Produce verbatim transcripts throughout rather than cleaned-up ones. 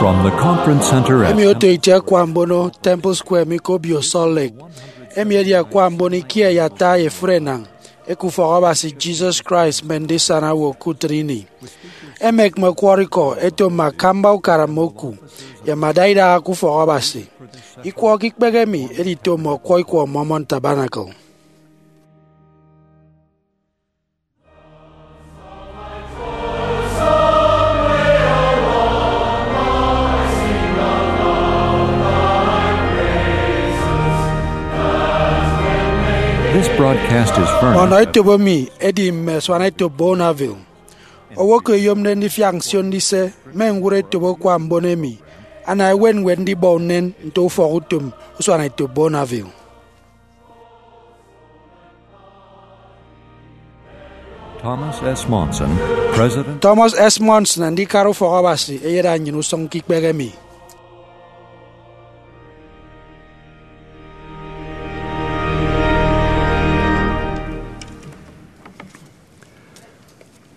From the Conference Center at emi oto itie akwa mbono Temple Square mi ke obio Salt Lake, emi edi akwa mbono ikie ye ata ye efuri enañ eke Ufọk Abasi Jesus Christ Mme Ndisana Owo ke Utịt Ini. Emek mme ọkwọrọ ikọ eto mme akamba ukara mme oku ye mme adaidaha ke Ufọk Abasi. Ikwọ ke ikpehe emi edito mme ọkwọ ikwọ Mormon Tabernacle. This broadcast is furnished. Ọnọ etop emi edi mme asuana etop Bonneville. Owo ke oyomde ndifiak nsio ndise mme ñwụre etop akwa mbono emi ana ewe ñwed ndibọ unen nto ufọk utom usuana etop Bonneville. Thomas S. Monson, President. Thomas S. Monson, Andikara Ufọk Abasi, eyeda nnyịn usụñ ke ikpehe emi.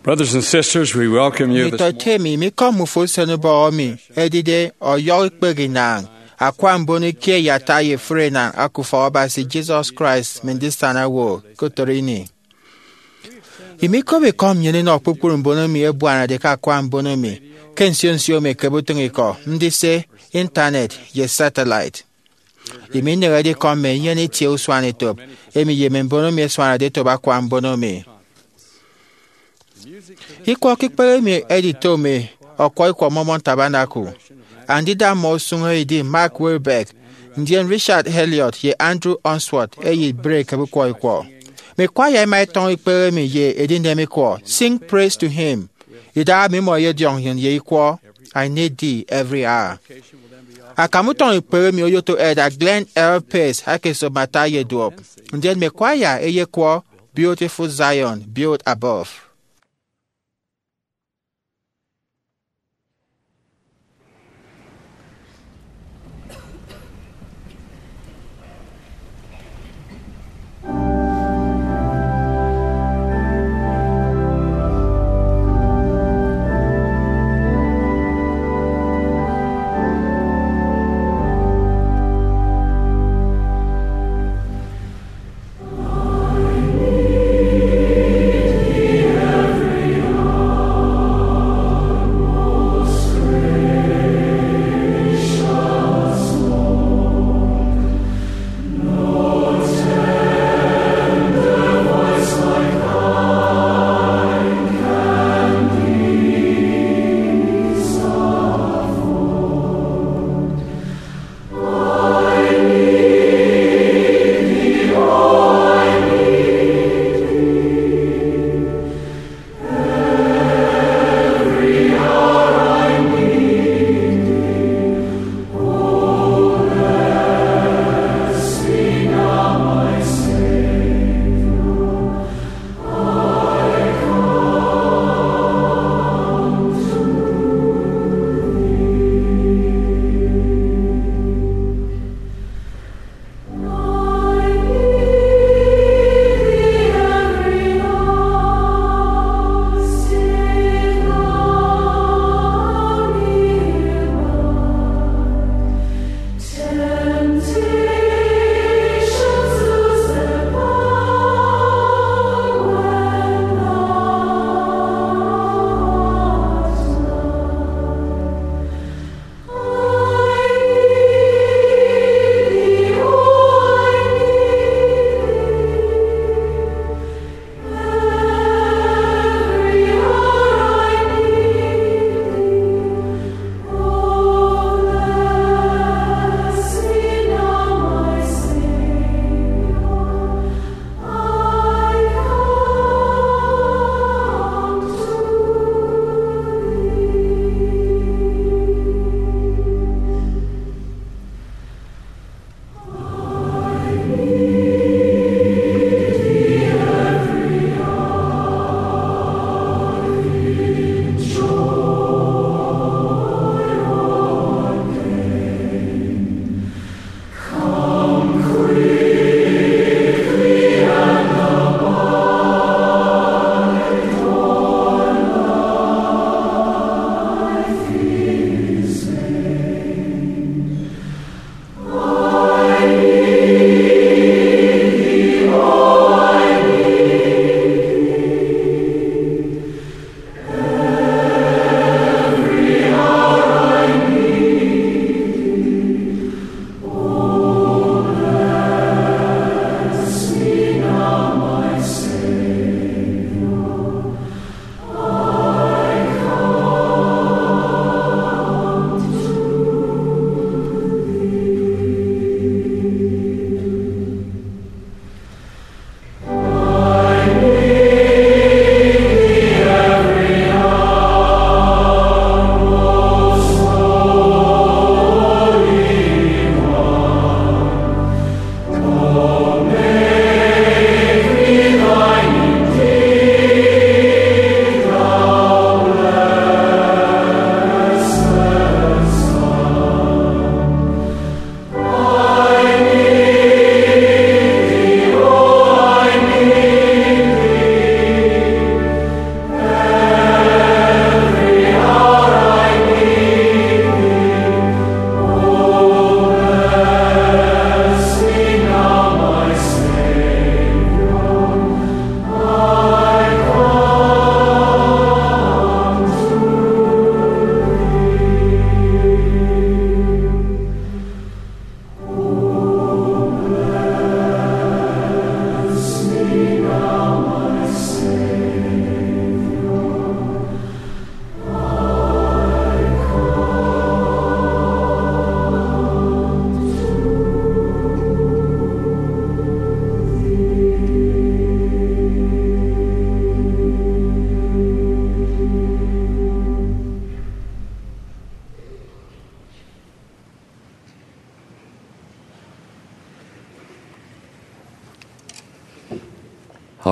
Brothers and sisters, we welcome you this Nditọete emi, mi ke mme ufo usen ubọhọ emi edide ọyọhọ ikpehe inañ akwa mbono ikie ye ata ye efuri enañ eke Ufọk Abasi Jesus Christ Mme Ndisana Owo ke Utịt Ini. Imi ikop ikọ nnyịn inọ kpukpru mbon emi ẹbuanade ke akwa mbono emi ke nsio nsio emi ekebe utịñ ikọ, ndise, intanet, ye satellite. Imi inehede ikọ mme enyene itie usuanetop emi ye mme mbon emi ẹsuanade etop akwa mbono emi. Ikwọ ke ikpehe emi edito mme ọkwọ ikwọ Mormon Tabernacle. Andida mmọ usụñ edi Mark Wilberg, ndien Richard Elliot ye Andrew Unsworth eyịbịre ekebe ukwọ ikwọ. Mme kwaya ẹma ẹtọñọ ikpehe emi ye edinem ikwọ, Sing Praise to Him. Idaha emi mmọ ẹyediọñ nnyịn ye ikwọ, I Need Thee Every Hour. Akam utọñ ikpehe emi oyoto Elder Glenn L. Pace aka esop mme ata ye duop, ndien mme kwaya ẹyekwọ Beautiful Zion, Built Above.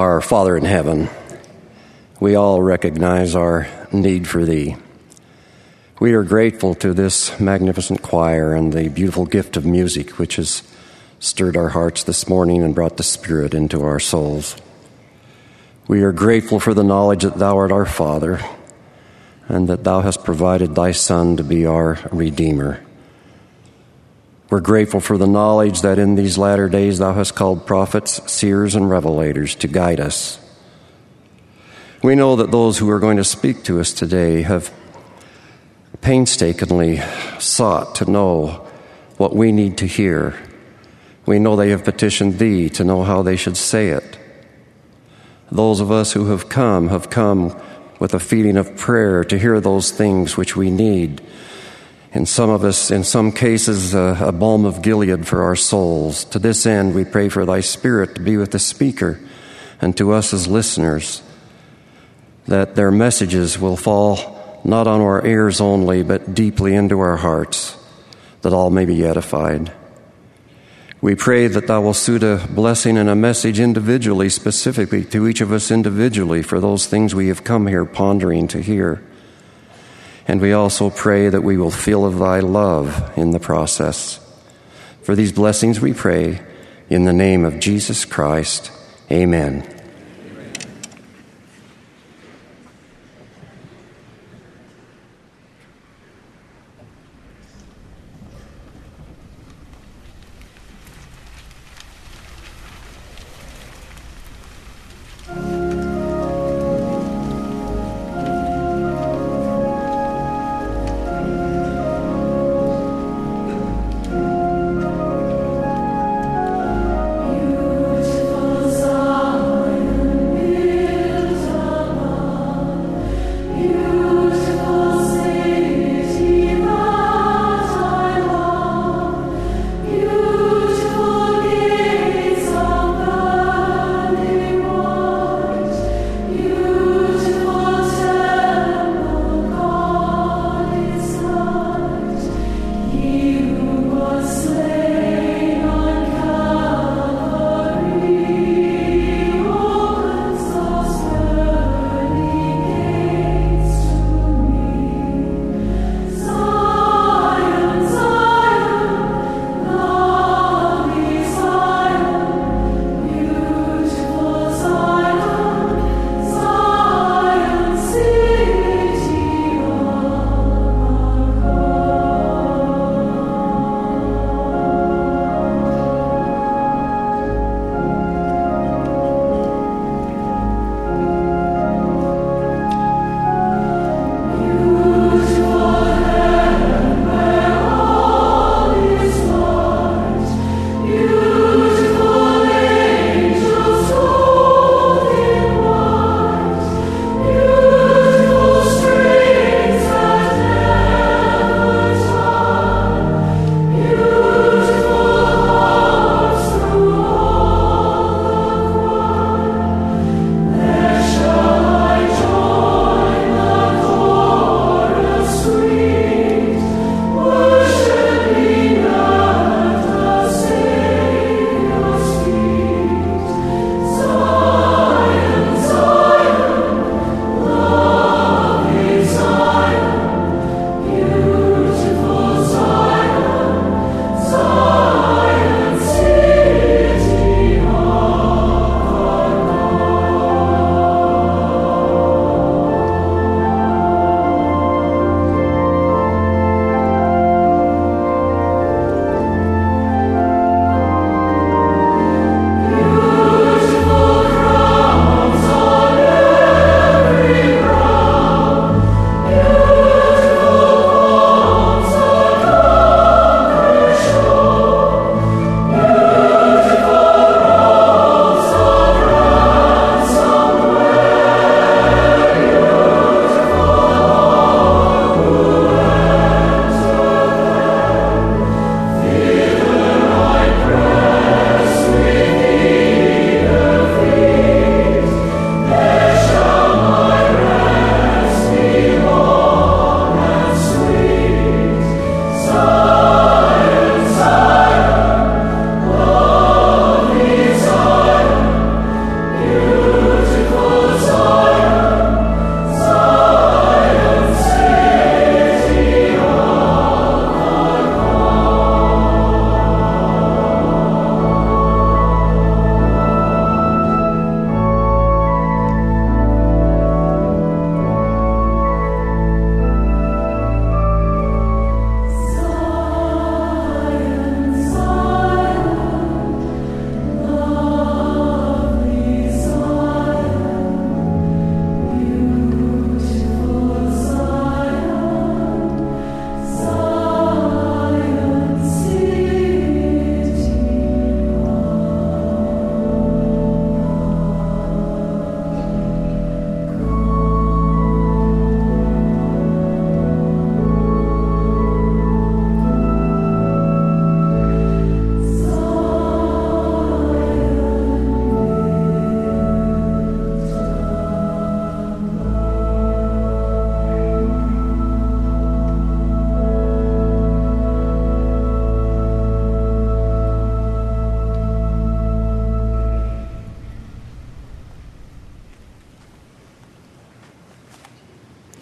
Our Father in heaven, we all recognize our need for thee. We are grateful to this magnificent choir and the beautiful gift of music which has stirred our hearts this morning and brought the Spirit into our souls. We are grateful for the knowledge that thou art our Father and that thou hast provided thy Son to be our Redeemer. We're grateful for the knowledge that in these latter days thou hast called prophets, seers, and revelators to guide us. We know that those who are going to speak to us today have painstakingly sought to know what we need to hear. We know they have petitioned thee to know how they should say it. Those of us who have come have come with a feeling of prayer to hear those things which we need. And some of us, in some cases, a, a balm of Gilead for our souls. To this end, we pray for thy Spirit to be with the speaker and to us as listeners, that their messages will fall not on our ears only, but deeply into our hearts, that all may be edified. We pray that thou wilt suit a blessing and a message individually, specifically to each of us individually, for those things we have come here pondering to hear. And we also pray that we will feel of thy love in the process. For these blessings we pray in the name of Jesus Christ. Amen.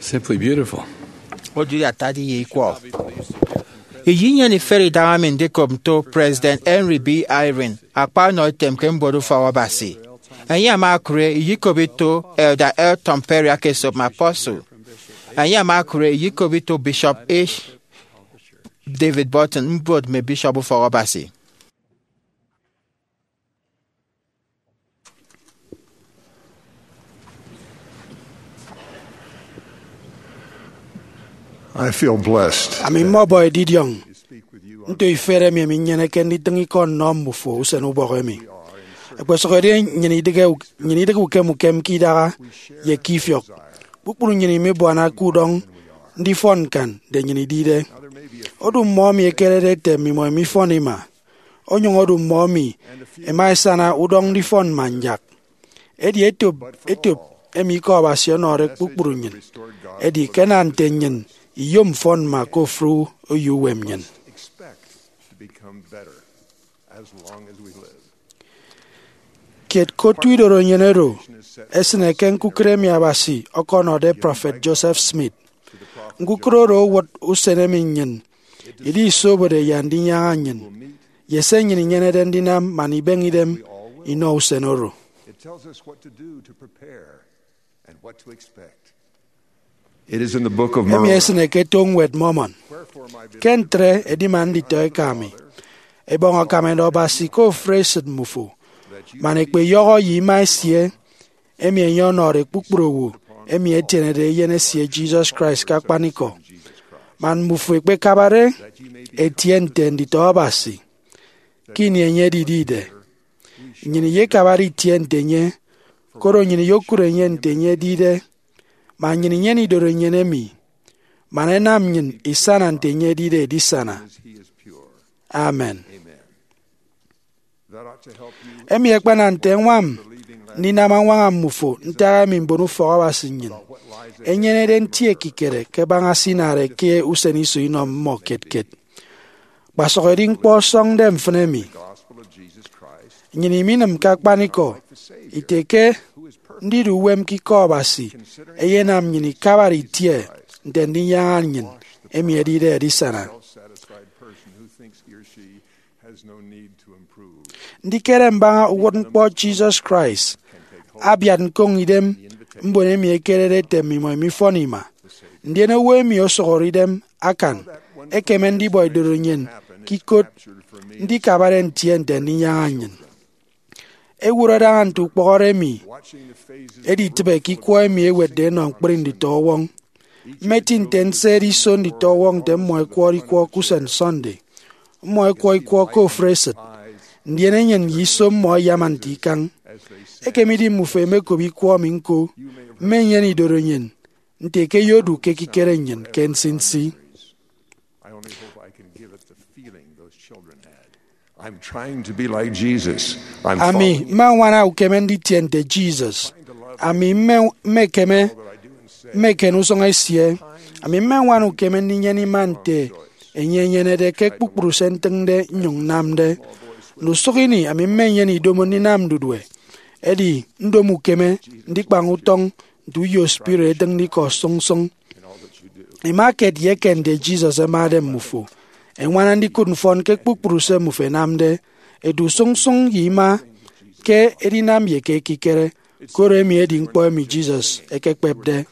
Simply beautiful. Odu atade ye ikwọ. Iyi nnyịn iferi idaha mi ndikop nto President Henry B. Eyring, akpa ọnọitem ke mbuot ufọk Abasi. Enye ama okụre iyikop ito Elder Elton Perry aka esop mme apostle. Enye ama okụre iyikop ito Bishop H. David Burton, mbuot mme bishop ufọk Abasi. I feel blessed. Ami mmọbọ edidiọñ nto ifet emi ami nnyeneke nditịñ ikọ nnọ mmufo usen ubọk emi. Ẹkpesụkedi nnyịn idịghe, nnyịn idịghe ukem ukem ke idaha ye ke ifiọk. Kpukpru nnyịn imibuana ke udọñ ndifọn ñkan nte nnyịn idide. Odu mmọ emi ẹkerede ete mmimọ imifọn ima, onyụñ odu mmọ emi ẹma ẹsana udọñ ndifọn mma nyak. Edi etop etop emi Ikọ Abasi ọnọde kpukpru nnyịn. Edi ke ẹnam nte nnyịn iyom mfọn mma ke ofụri oyo uwem nnyịn. Kiet ke otu idorenyin oro esịne ke ñkukịre emi Abasi ọkọnọde Prọfet Joseph Smith. Ñkukịre oro owụt usen emi nnyịn idisobode ye Andinyaña nnyịn, ye se nnyịn inyenede ndinam man ibeñe idem inọ usen oro. It is in the Book of Emi Mormon. Esịne ke eto Ñwed Mormon. Ke ntre, edima nditọ eka mi, ẹbọñ akam ẹnọ Abasi ke ofụri esịt mmufo, man ẹkpeyọhọ ye ima esie, emi enye ọnọde kpukpru owo emi ẹtienede Eyen esie Jesus Christ ke akpanikọ, man mmufo ẹkpekabare ẹtie nte nditọ Abasi ke ini enye edidide. Nnyịn iyekabade itie nte enye, koro nnyịn iyokụt enye nte enye edide, man nnyịn inyene idorenyin emi, man ẹnam nnyịn isana nte enye edide edisana. Amen. Emi akpanam nte ẹñwam ndinam añwaña mmufo ntak emi mbon ufọk Abasi nnyịn ẹnyenede nti ekikere ke baña se inade ke usen iso inọ mmọ kiet kiet. Kpasụk edi ñkpọ ọsọñde mfịn emi. Nnyịn iminịm ke akpanikọ ite ke ndidu uwem ke Ikọ Abasi eyenam nnyịn ikabade itie nte Andinyaña nnyịn emi edide edisana. Ndikere mbaña uwụtñkpọ Jesus Christ abiat ñkoñ idem mbon emi ẹkerede ete mmimọ imifọn ima, ndien owo emi osụhọre idem akan ekeme ndibọ idorenyin ke ikot ndikabade ntie nte Andinyaña nnyịn. Ẹwụt ẹdaña nte ukpọhọde emi editịbe ke ikwọ emi ẹwetde ẹnọ ñkpri nditọwọñ. Mmeti nte nse ediso nditọwọñ nte mmọ ẹkwọrọ ikwọ ke usen Sunday. Mmọ ẹkwọ ikwọ ke ofụri esịt, ndien enyịn ye iso mmọ ẹyama nte ikañ. Ekemidi mmufo ẹmekop ikwọ emi ñko, mmenyene idorenyin nte ke ẹyodu ke ekikere nnyịn ke nsinsi. I'm trying to be like Jesus. I'm Ami following. Mma ñwana ukeme nditie nte Jesus. Ami mme, mmekeme mmeken usụñ esie. Ami mme ñwana ukeme ndinyene ima nte enye enyenede ke kpukpru se ntịñde nnyụñ nnamde. Ndusụk ini, ami mmenyene idomo ndinam ndudue. Edi ndomo ukeme ndikpañ utọñ nte uyo spirit etịñde ikọ sụñsụñ. Ima kiet ye eken nte Jesus ẹmade mmufo. Ẹñwana ndikụt mfọn ke kpukpru se mmufo ẹnamde, edu sụñsụñ ye ima ke edinam ye ke ekikere, koro emi edi ñkpọ emi Jesus ekekpepde.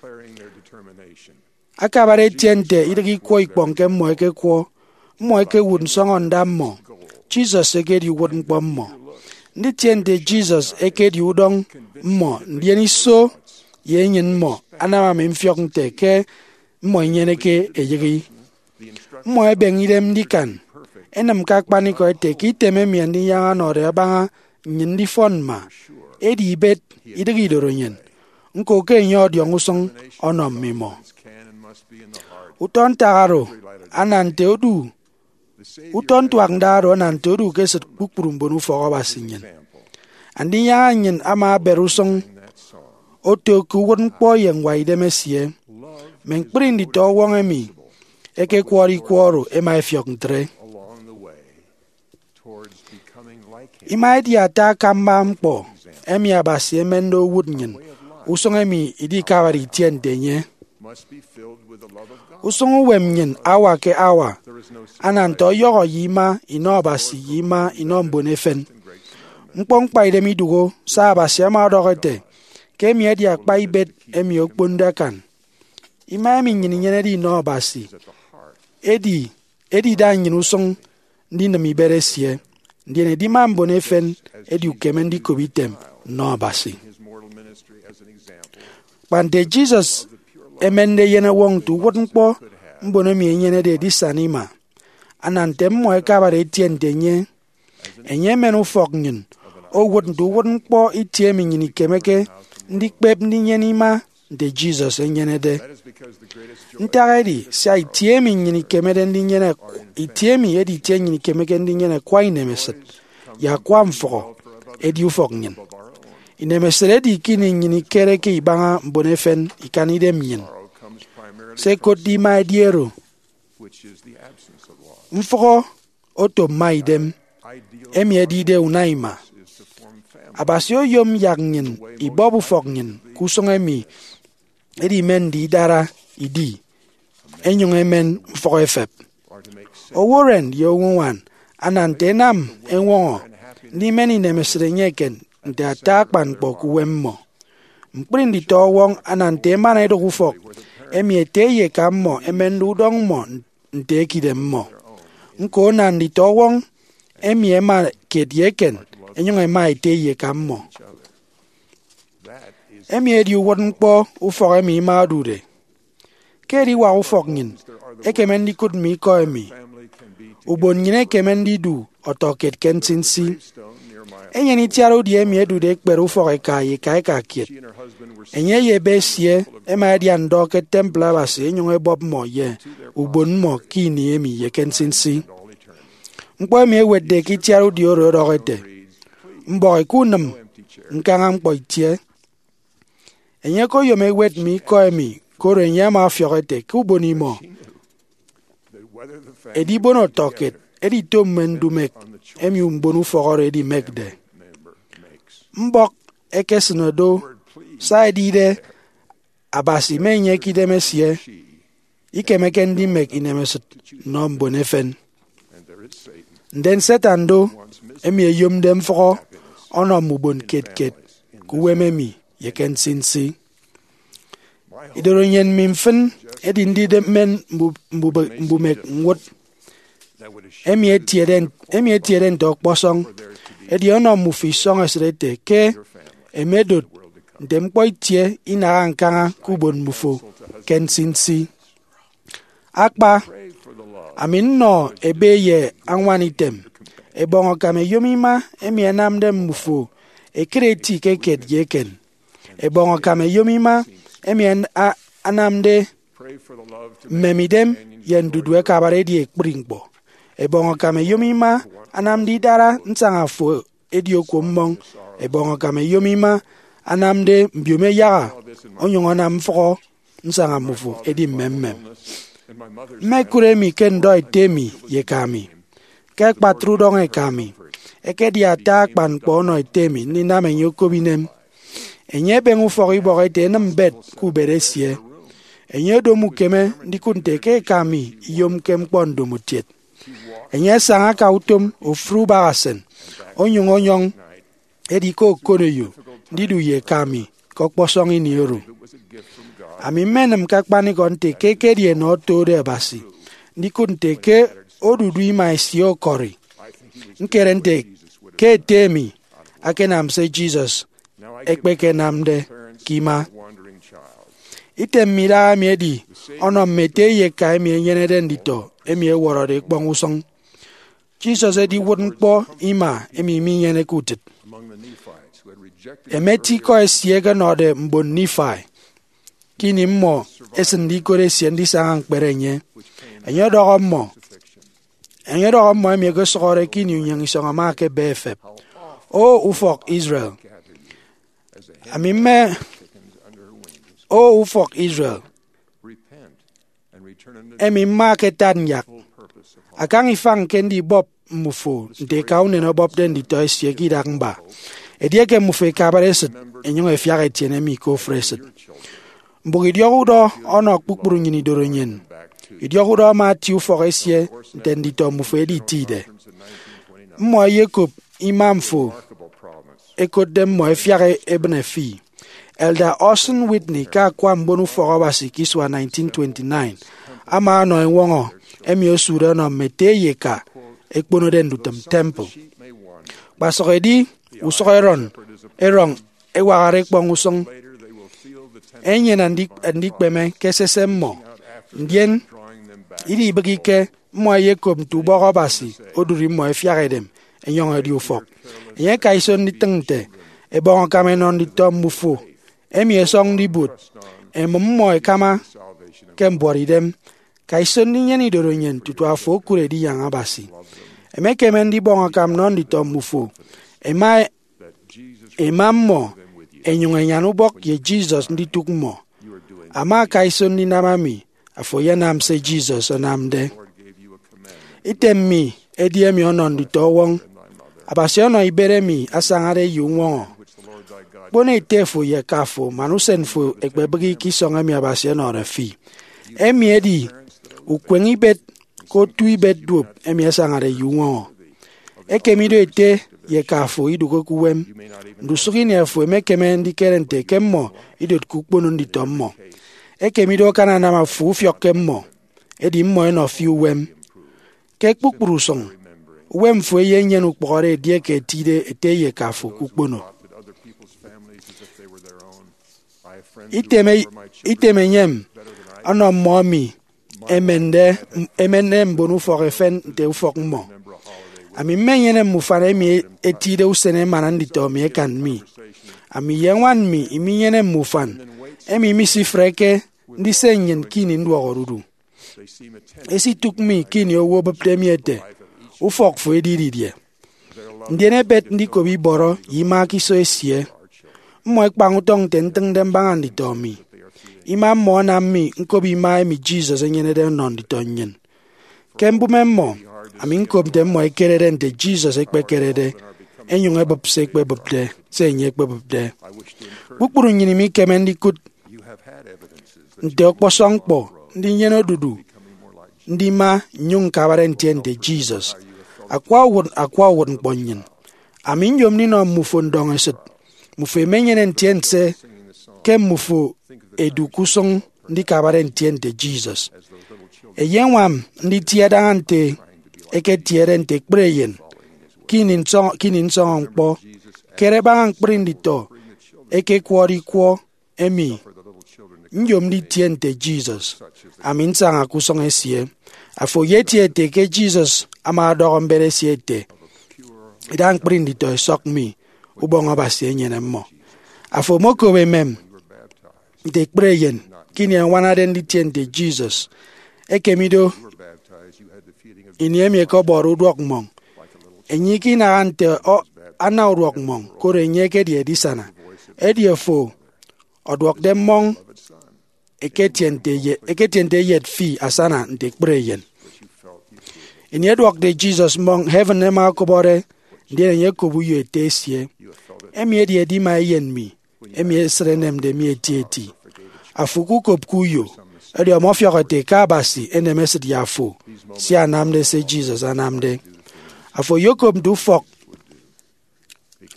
Akabade etie nte idịghe ikwọ ikpọñ ke mmọ ẹkekwọ, mmọ ẹkewụt nsọñọnda mmọ. Jesus ekedi uwụtñkpọ mmọ. Nditie nte Jesus ekedi udọñ mmọ, ndien iso ye enyịn mmọ anam ami mfiọk nte ke mmọ inyeneke eyịghi. Mmọ ẹbeñe idem ndikan, ẹnịm ke akpanikọ ẹte ke item emi Andinyaña ọnọde abaña nnyịn ndifọn mma, edi ibet, idịghe idorenyin. Ñko ke enye ọdiọñ usụñ ọnọ mmimọ. Utọ ntak oro ana nte odu, utọ ntuak nda oro ana nte odu ke esịt kpukpru mbon ufọk Abasi nnyịn. Andinyaña nnyịn ama abere usụñ oto ke uwụtñkpọ ye ñwaidem esie. Mme ñkpri nditọwọñ emi ẹkekwọrọ ikwọ oro ẹma ẹfiọk ntre. Ima edi ata akamba ñkpọ emi Abasi emende owụt nnyịn usụñ emi idikabade itie nte enye. Usụñ uwem nnyịn hour ke hour ana nte ọyọhọ ye ima inọ Abasi ye ima inọ mbon efen. Ñkpọ ñkpaidem idụhe, sia Abasi ama ọdọhọ ete ke emi edi akpa ibet emi okponde akan. Ima emi nnyịn inyenede inọ Abasi edi edida nnyịn usụñ ndinịm ibet esie, ndien edima mbon efen edi ukeme ndikop item nnọ Abasi. Kpa nte Jesus emende eyenọwọñ nte uwụtñkpọ mbon emi ẹnyenede edisana ima, ana nte mmọ ẹkabade ẹtie nte enye. Enye emen ufọk nnyịn owụt nte uwụtñkpọ itie emi nnyịn ikemeke ndikpep ndinyene ima nte Jesus enyenede. Ntak edi sia itie emi nnyịn ikemede ndinyene, itie emi edi itie nnyịn ikemeke ndinyene akwa inemesịt ye akwa mfụhọ edi ufọk nnyịn. Inemesịt edi ke ini nnyịn ikereke ibaña mbon efen ikan idem nnyịn. Se ẹkotde ima edi oro. Mfụhọ oto mma idem, emi edide una ima. Abasi oyom yak nnyịn ibọp ufọk nnyịn ke usụñ emi edimende idara idi, enyụñ emen mfụhọ efep. Owo-uren ye owo-uñwan ana nte ẹnam ẹñwọñọ ndimen inemesịt enye eken nte ata akpan ñkpọ ke uwem mmọ. Ñkpri nditọwọñ ana nte emana edụk ufọk emi ete ye eka mmọ ẹmende udọñ mmọ nte ekidem mmọ. Ñko, ana nditọwọñ emi ẹma kiet ye eken, ẹnyụñ ẹma ete ye eka mmọ. Emi edi uwụtñkpọ ufọk emi ima odude. Ke ediwak ufọk nnyịn, ekeme ndikụt mme ikọ emi ubon nnyịn ekeme ndidu ọtọkiet ke nsinsi. Enyene itiat udi emi ẹdude ẹkpere ufọk eka ye eka eka kiet. Enye ye ebe esie ẹma ẹdia ndọ ke temple Abasi ẹnyụñ ẹbọp mmọ ye ubon mmọ ke ini emi ye ke nsinsi. Ñkpọ emi ẹwetde ke itiat udi oro ọdọhọ ete, mbọhọ ke unịm ñkaña ñkpọ itie. Enye okoyom ewet mme ikọ emi, koro enye ama ọfiọk ete ke ubon imọ edibon ọtọkiet edito mme ndumek emi mbon ufọk oro ẹdimekde. Mbọk ekesịne do, sia edide Abasi ma enye ke idem esie ikemeke ndimek inemesịt nnọ mbon efen. Ndien Satan do, emi eyomde mfụhọ ọnọ mme ubon kiet kiet ke uwem emi ye ke nsinsi. Idoro nnyin mi mfịn edi ndidep mmen mbu- mbube- mbumek ñwụt emi etiede emi etiede nte ọkpọsọñ, edi ọnọ mmufo isọñ esịt ete ke emedot nte ñkpọ itie inaha ñkaña ke ubon mmufo ke nsinsi. Akpa, ami nnọ ebe ye añwan item, ẹbọñ akam ẹyom ima emi ẹnamde mmufo ẹkere eti ke kiet ye eken. Ẹbọñ akam ẹyom ima emi ẹn- a- anamde mmemidem ye ndudu ẹkabade edi ekpri ñkpọ. Ẹbọñ akam ẹyom ima anamde idara nsaña fo edi okuo mmọñ. Ẹbọñ akam ẹyom ima anamde mbiomo ẹyaha onyụñ anam mfụhọ nsaña mmufo edi mmemmem. Mmekụt emi ke ndọ ete mi ye eka mi. Ke akpatre udọñ eka mi, ekedi ata akpan ñkpọ ọnọ ete mi ndinam enye okop inem. Enye ebeñe ufọk ibọhọ ete enịm mbet ke ubet esie. Enye odomo ukeme ndikụt nte ke eka mi iyomke ñkpọ ndomokiet. Enye asaña aka utom ofụri ubahasen, onyụñ ọnyọñ edi ke okoneyo ndidu ye eka mi ke ọkpọsọñ ini oro. Ami mmenịm ke akpanikọ nte ke ekedi enọ otode Abasi ndikụt nte ke odudu ima esie ọkọri. Ñkere nte ke ete mi akanam se Jesus ekpekenamde ke ima. Item mme idaha emi edi ọnọ mme ete ye eka emi ẹnyenede nditọ emi ẹwọrọde ekpọñ usụñ. Jesus edi uwụtñkpọ ima emi minyeneke utịt. Ẹmeti ikọ esie ẹkenọde mbon Nifai ke ini mmọ ẹsịnde ikot esie ndisaña ñkpere enye. Enye ọdọhọ mmọ, enye ọdọhọ mmọ emi ẹkesụhọde ke ini unyịñ isọñ ama ekebe efep, O ufọk Israel, ami mme, O ufọk Israel, emi mma ke tat nyak, akañ ifañ ke ndibọp mmufo nte eka unen ọbọpde nditọ esie ke idak mba. Edieke mmufo ẹkabade esịt, ẹnyụñ ẹfiak etiene mi ke ofụri esịt. Mbụk idiọk udọ ọnọ kpukpru nnyịn idorenyin. Idiọk udọ ama atie ufọk esie nte nditọ mmufo ẹditide. Mmọ ẹyekop imam fo ẹkotde mmọ ẹfiak ebịne fi. Elder Orson Whitney, ke akwa mbon ufọk Abasi ke isua nineteen twenty-nine, ama ọnọ eñwọñọ emi osude ọnọ mme ete ye eka ẹkponode ndutịm temple. Kpasụk edi usụk erọñ erọñ ẹwakde ekpọñ usụñ, ẹnyene andi-, andikpeme ke esese mmọ. Ndien, idibịghike, mmọ ẹyekop nte ubọk Abasi odụri mmọ ẹfiak edem ẹnyọñ ẹdi ufọk. Enye aka iso nditịñ nte ebọñ akam ẹnọ nditọ mmufo emi ẹsọñde ibuot, ẹmụm mmọ ẹkama ke mbuọtidem. Ka iso ndinyene idorenyin tutu afo okụre ediyaña Abasi. Emekeme ndibọñ akam nnọ nditọ mmufo, ẹma, ẹma mmọ, ẹnyụñ ẹnyan ubọk ye Jesus nditụk mmọ. Ama aka iso ndinam emi, afo eyenam se Jesus anamde. Item mi edi emi ọnọ nditọ ọwọñ. Abasi ọnọ ibet emi asañade ye uñwọñọ. Kpono ete fo ye eka fo man usen fo ẹkpebịghi ke isọñ emi Abasi ọnọde fi. Emi edi ukweñ ibet ke otu ibet duop emi asañade ye uñwọñọ. Ekem ido ete ye eka fo idụkke ke uwem. Ndusụk ini afo emekeme ndikere nte ke mmọ idotke ukpono nditọ mmọ. Ekem ido akananam afo ufiọkke mmọ, edi mmọ ẹnọ fi uwem. Ke kpukpru usụñ, uwem fo eyenyene ukpụhọde edieke etide ete ye eka fo ke ukpono. Item, item enyem ọnọ mmọ emi ẹmende, ẹmende mbon ufọk efen nte ufọk mmọ. Ami mmenyene mme ufan emi etide usen emana nditọ mi ẹkan mi. Ami ye ñwan mi iminyene mme ufan emi misifreke ndise nnyịn ke ini nduọk odudu. Esitụk mi ke ini owo obịpde mi ete, "Ufọk fo edi didie?" Ndien ebet ndikop ibọrọ ye ima ke iso esie. Mmọ ẹkpañ utọñ nte ntịñde mbaña nditọ mi. Ima mmọ anam mi ñkop ima emi Jesus enyenede ọnọ nditọ nnyịn. Ke mbụme mmọ, ami ñkop nte mmọ ẹkerede nte Jesus ekpekerede, ẹnyụñ ẹbụp se ekpebụpde, se enye ekpebụpde. Kpukpru nnyịn imikeme ndikụt nte ọkpọsọñ ñkpọ ndinyene odudu ndima nnyụñ ñkabare ntie nte Jesus. Akwa uwụt, akwa uwụtñkpọ nnyịn. Ami nyom ndinọ mmufo ndọñesịt. Mmufo emenyene ntiense ke mmufo ẹdu ke usụñ ndikabare ntie nte Jesus. Ẹyeñwam nditie daña nte ẹketiede nte ekpere eyen ke ini nsọñọ, ke ini nsọñọ ñkpọ. Kere baña ñkpri nditọ ẹkekwọde ikwọ emi, nyom nditie nte Jesus, ami nsaña ke usụñ esie. Afo eyetie ete ke Jesus ama ọdọhọ mbet esie ete, "Ida ñkpri nditọ ẹsọk mi, Ubọñ Abasi enyene mmọ." Afo omokop emem nte ekpere eyen ke ini ẹñwanade nditie nte Jesus. Ekem ido, ini emi ẹkọbọde uduọk mmọñ, enye ikinaha nte ọ-, ana uduọk mmọñ, koro enye ekedi edisana. Edi afo ọduọkde mmọñ eketiente ye-, eketiente eyet fi asana nte ekpere eyen. Ini ẹduọkde Jesus mmọñ, heaven ẹma ẹkọbọde, ndien enye ẹkop uyo ete esie, "Emi edi edima eyen mi, emi esịt enemde mi etieti." Afo ukukopke uyo, edi ọmọfiọk ete ke Abasi enem esịt ye afo, sia anamde se Jesus anamde. Afo oyokop nte ufọk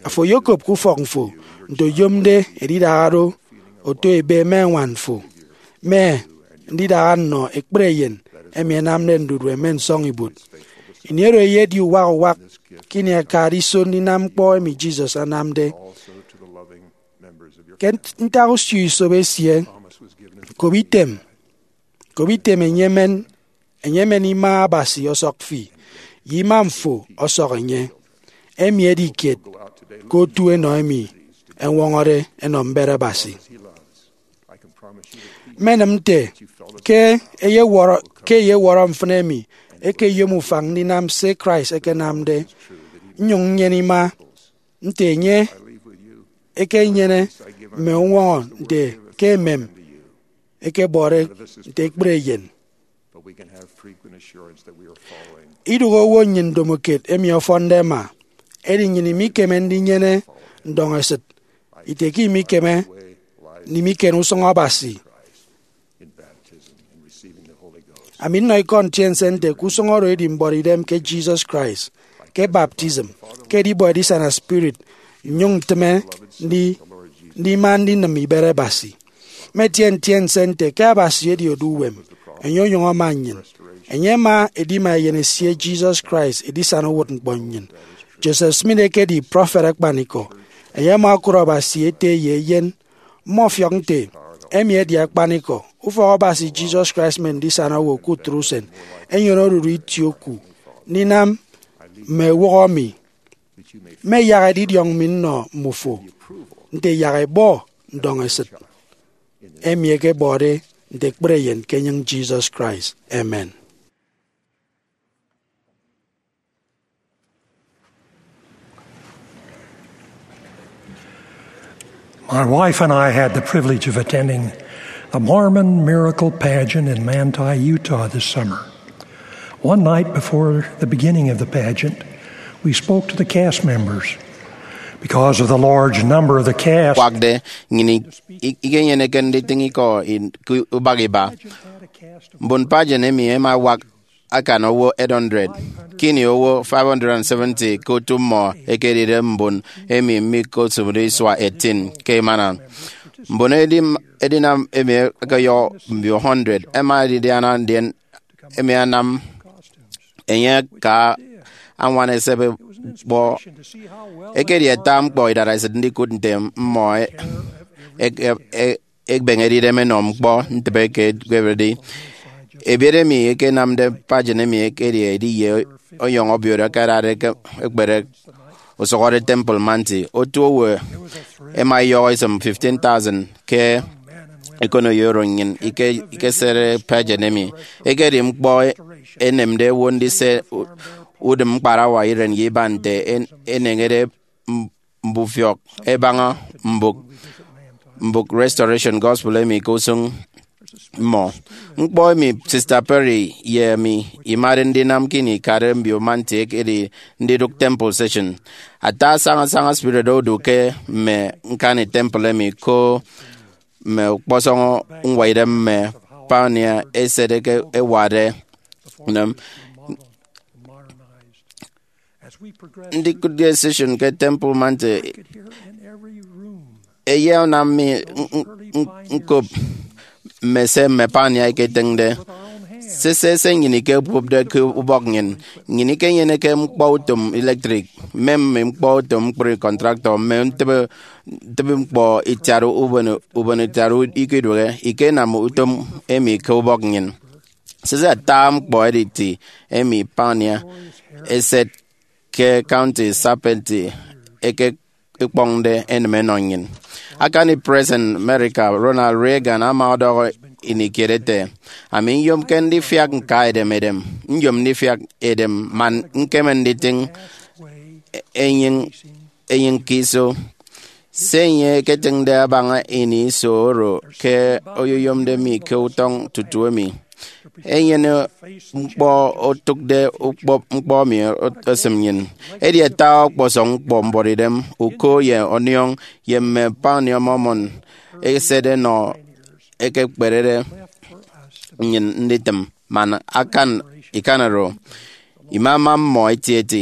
Afo oyokop ke ufọk fo nte oyomde edidaha do oto ebe mme ñwan fo, mme ndidaha nnọ ekpere eyen emi ẹnamde ndudu ẹmen nsọñibuot. Ini oro eyedi uwak uwak ke ini akade iso ndinam ñkpọ emi Jesus anamde. Ke ntak usio isobo esie, kop item, kop item enye emen, enye emen ima Abasi ọsọk fi, ye imam fo ọsọk enye. Emi edi kiet ke otu enọ emi ẹñwọñọde ẹnọ mbet Abasi. Mmenịm nte ke eyewọrọ, ke eyewọrọ mfịn emi ekeyom ufañ ndinam se Christ ekenamde, nnyụñ nnyene ima nte enye ekenyene mme uñwọñọ nte ke emem ekebọde nte ekpere eyen. Idụhe owo nnyịn ndomokiet emi ọfọnde ẹma, edi nnyịn imikeme ndinyene ndọñesịt ite ke imikeme ndimiken usụñ Abasi Ami nnọ ikọ ntiense nte ke usụñ oro edi mbuọtidem ke Jesus Christ, ke baptism, ke edibọ edisana spirit, nnyụñ ntịme ndi- ndima ndinịm ibet Abasi. Mmetie ntiense nte ke Abasi edi odu uwem, enye onyụñ ama nnyịn. Enye ama edima Eyen esie Jesus Christ edisana uwụtñkpọ nnyịn. Joseph Smith ekedi prọfet akpanikọ. Enye ama okụt Abasi Ete ye Eyen. Mmọfiọk nte, emi edi akpanikọ. Ufọk Abasi Jesus Christ mme ndisana owo ke utre usen enyene oruru itie oku ndinam mme ewụhọ mi. Mme yak edidiọñ mi nnọ mmufo nte yak ẹbọ ndọñesịt, emi ẹkebọde nte ekpere eyen ke enyịñ Jesus Christ. Amen. My wife and I had the privilege of attending the Mormon Miracle Pageant in Manti, Utah this summer. One night before the beginning of the pageant, we spoke to the cast members. Because of the large number of the cast, Kwakde, nnyịn i- i- ikenyeneke nditịñ ikọ in- ke ubak iba. Mbon pageant emi ẹma ẹwak akan owo eight hundred, ke ini owo five hundred seventy ke otu mmọ ẹkedide mbon emi mikosụmde isua eighteen ke emana. Mbon edim- edinam emi ẹkeyọ mbio hundred ẹma ẹdidiana, ndien emi anam enye aka añwan esep ñkpọ. Ekedi ata ñkpọ idatesịt ndikụt nte mmọ e- e- e- e- ebeñede idem ẹnọ ñkpọ ntịbe ke ẹkpepde. Ebiet emi ẹkenamde pageant emi ekedi edi ye ọyọhọ obio oro ẹkadade ke ekpere usụhọde Temple Manti. Otu owo ẹma ẹyọhọ isịm fifteen thousand ke ekonoyo oro nnyịn ike- ikesede pageant emi. Ekedi ñkpọ enemde owo ndise u- udịm ñkparawa iren ye iban nte en- eneñede m- mbufiọk ẹbaña mbụk mbụk Restoration Gospel emi ke usụñ mmọ. Ñkpọ emi Sister Perry ye emi imade ndinam ke ini ikade mbio Manti ekedi ndidụk temple session. Ata asaña asaña spirit odu ke mme ñkani temple emi, ko mme ọkpọsọñ ñwaidem mme pioneer eset eke ẹwade. Ndikụtde session ke Temple Manti eyenam mi n- n- n- ñkop mme se mme pioneer ẹketịñde. Sese se nnyịn ikekopde ke ubọk nnyịn. Nnyịn ikenyeneke ñkpọ utom electric, mme mme ñkpọ utom ñkpri contractor, mme ntịbe ntịbe ñkpọ itiat ubon ubon itiat ikidụhe. Ikenam utom emi ke ubọk nnyịn. Sese ata ñkpọ editi emi pioneer eset ke County Serpentine eke ikpọñde enịm enọ nnyịn. Akani President America Ronald Reagan ama ọdọhọ ini kiet ete, ami nyomke ndifiak ñka edem edem, nyom ndifiak edem man ñkeme nditịñ enyịñ enyịñ ke iso. Se enye eketịñde abaña ini iso oro ke oyoyomde mi ke utọñ tutu emi. Enyene ñkpọ otụkde ukpọp ñkpọ mi esịm nnyịn. Edi ata ọkpọsọñ ñkpọ mbuọtidem, uko ye ọniọñ, ye mme pioneer Mormon eset enọ ekekperede nnyịn nditịm man akan ikan oro. Imama mmọ etieti.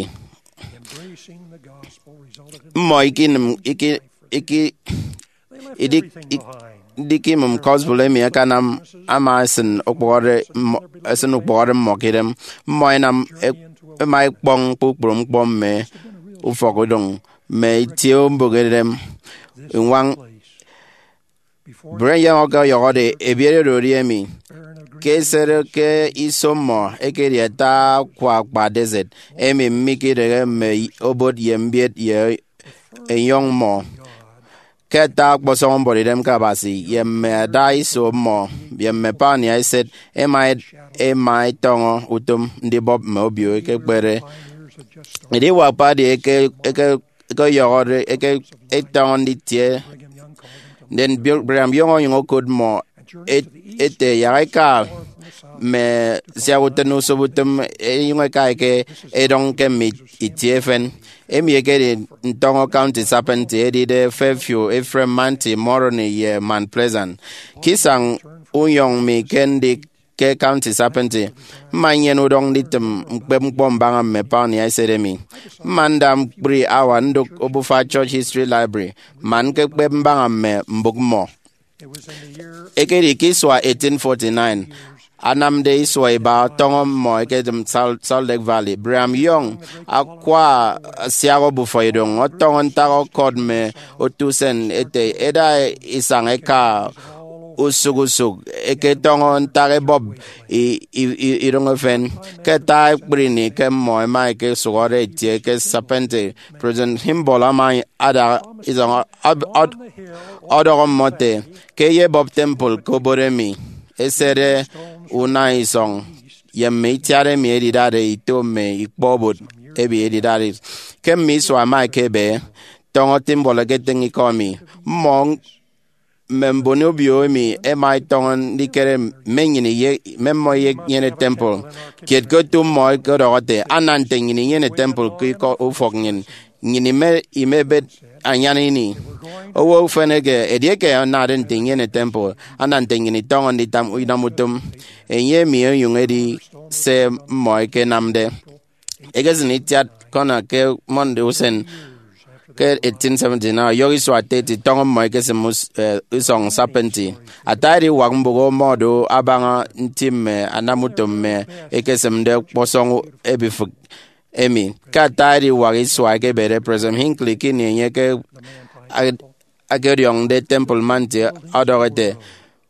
Mmọ ikinịm iki- iki- idik- ik- ndikimịm gospel emi akanam ama esịn ukpụhọde mmọ- esịn ukpụhọde mmọ ke idem. Mmọ ẹnam ẹk- ẹma ẹkpọñ kpukpru ñkpọ mme ufọkudụñ mme itie mbụk edem. Ñwañ Brian Young ọkọyọhọde ebiet oro edi emi. Ke esede ke iso mmọ ekedi ata akwa akpa desert emi mikidịghe mme obot ye mbiet ye enyọñ mmọ. Ke ata ọkpọsọñ mbuọtidem ke Abasi ye mme ada iso mmọ ye mme pioneer eset ẹma ẹma ẹtọñọ utom ndibọp mme obio ekekpere. Ediwak party eke eke ẹkeyọhọde eke ẹtọñọ nditie. Ndien Bill- Brigham Young onyụñ okot mmọ et- ete yak ẹka mme siak utịn usop utịm ẹnyụñ ẹka ẹke ẹdọñ ke mme itie efen. Emi ekedi ntọñọ County Serpentine edide Fairfield, Ephraim, Manti, Moroni, ye Mount Pleasant. Ke isañ unyọñ mi ke ndik ke County Serpentine. Mma nnyene udọñ nditịm ñkpep ñkpọ mbaña mme pioneer eset emi. Mma nda ñkpri hour ndụk obufa Church History Library man ñkekpep mbaña mme mbụk mmọ. Ekedi ke isua eighteen forty-nine, anamde isua iba ọtọñọ mmọ ekedịm Salt Lake Valley, Brigham Young akwa asiak obufa idoñ ọtọñọ ntak ọkọt mme otu usen ete ẹda isañ ẹka usụk usụk, ẹketọñọ ntak ẹbọp idoñ efen. Ke ata ekpri ini ke mmọ ẹma ẹkesụhọde ẹtie ke Serpentine, President Kimball ama ada isọñ ọdọhọ mmọ ete, ke ẹyebọp temple ke obot emi, esede una isọñ ye mme itiat emi ẹdidade ito mme ikpọ obot emi ẹdidade. Ke mme isua ẹma ẹkebe, tọñọ Kimball eketịñ ikọ emi. Mmọ mme mbon obio emi ẹma ẹtọñọ ndikere mme nnyịn mme mmọ inyene temple. Kiet ke otu mmọ ẹkedọhọ ete, ana nte nnyịn inyene temple ke ikọ ufọk nnyịn, nnyịn imebet anyan ini. Owo ufen eke, edieke anade nte inyene temple, ana nte nnyịn itọñọ ndinam utom. Enye emi onyụñ edi se mmọ ẹkenamde. Ekesịn itiat Connor ke Monday usen ke eighteen seventy-nine, ọyọhọ isua thirty tọñọ mmọ ẹkesịm isọñ Serpentine. Ata ediwak mbụk ọmọdo abaña nti mme anamutom mme ẹkesịmde ọkpọsọñ ebifịk emi. Ke ata ediwak isua ẹkebede, President Hinckley ke ini enye ke akediọñde Temple Mount ọdọhọ ete,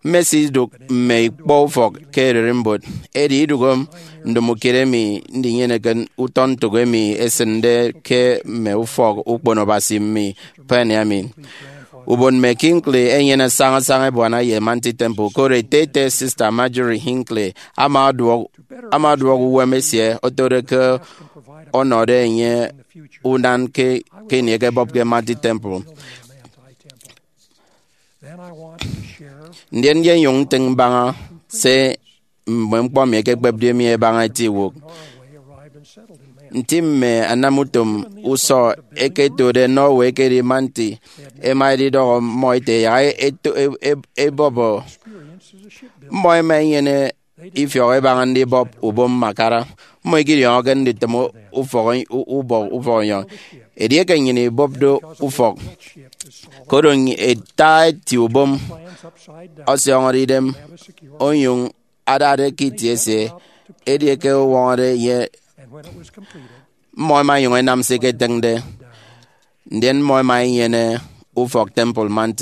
mmesidụk mme ikpọ ufọk ke ererimbot, edi idụhe ndomokiet emi ndinyeneke utọ ntụk emi esịnde ke mme ufọk ukpono Abasi mme pioneer mi. Ubon mme Hinckley ẹnyene sañasaña ebuana ye Mount Temple, koro ete ete Sister Marjorie Hinckley ama ọduọk ama ọduọk uwem esie otode ke ọnọde enye unan ke ini ẹkebọpke Mount Temple. Ndien nyonyụñ ntịñ mbaña se mme ñkpọ mi ẹkekpepde mi ẹbaña eti iwụk. Nti mme anamutom usọ ẹketode Norway ekedi Mount, ẹma ẹdidọhọ mmọ ete ẹyak ẹbọp. Mmọ ẹma ẹnyene ifiọk ẹbaña ndibọp ubom mme akara. Mmọ ikidiọñọke nditịm ufọk ubọk ufọk enyọñ edieke nnyịn ibọpde ufọk. Koro ata eti ubom ọsiọñọde idem onyụñ adade ke itie esie, edieke ọwọñọde ye mmọ ẹma ẹnyụñ ẹnam se iketịñde, ndien mmọ ẹma ẹnyene ufọk Temple Mount.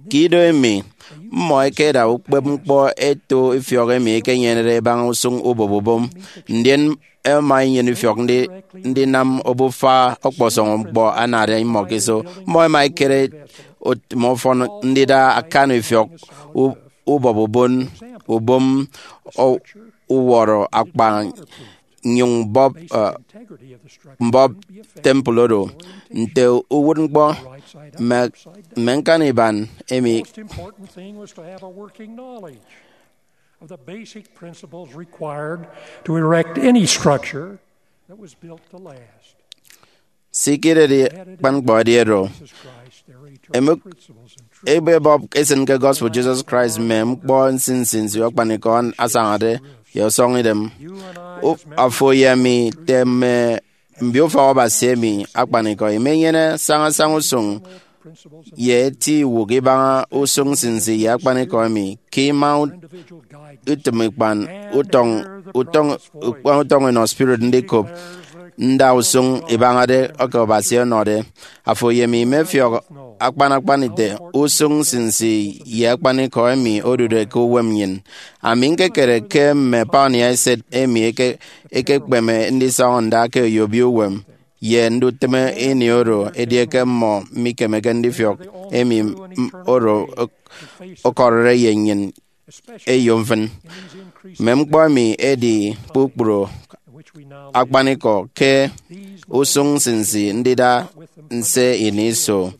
Ke ido emi, mmọ ẹkeda ukpepñkpọ eto ifiọk emi ẹkenyenede ẹbaña usụñ ubọp ubom, ndien ẹma ẹnyene ifiọk ndinam obufa ọkpọsọñ ñkpọ anade mmọ ke iso. Mmọ ẹma ẹkere utịm ọfọn ndida akan ifiọk ubọp ubom, ubom uwọrọ akpa nnyụñ mbọp temple oro nte uwụtñkpọ mme ñkaniban emi. Sikidedi akpan ñkpọ edi oro. Ebọp esịn ke gospel Jesus Christ mme ñkpọ nsinsi nsinsi akpanikọ asañade ye ọsọñidem. Afo ye ami, nte mme mbio ufọk Abasi emi akpanikọ, imenyene sañasaña usụñ ye eti iwụk ibaña usụñ nsinsi ye akpanikọ emi. Ke ima utịm ikpan utọñ utọñ ikpan utọñ inọ spirit ndikop nda usụñ ibañade eke Abasi ọnọde, afo ye mi imefiọk akpan akpan ite usụñ nsinsi ye akpanikọ emi odude ke uwem nnyịn. Ami ñkekere ke mme pioneer eset emi ẹkekpeme ndisọñọ nda ke oyobio uwem ye ndutịme ini oro edieke mmọ mikemeke ndifiọk emi oro ọkọrọde ye nnyịn eyo mfịn. Mme ñkpọ emi ẹdi kpukpru akpanikọ ke usụñ nsinsi ndida nse ini iso.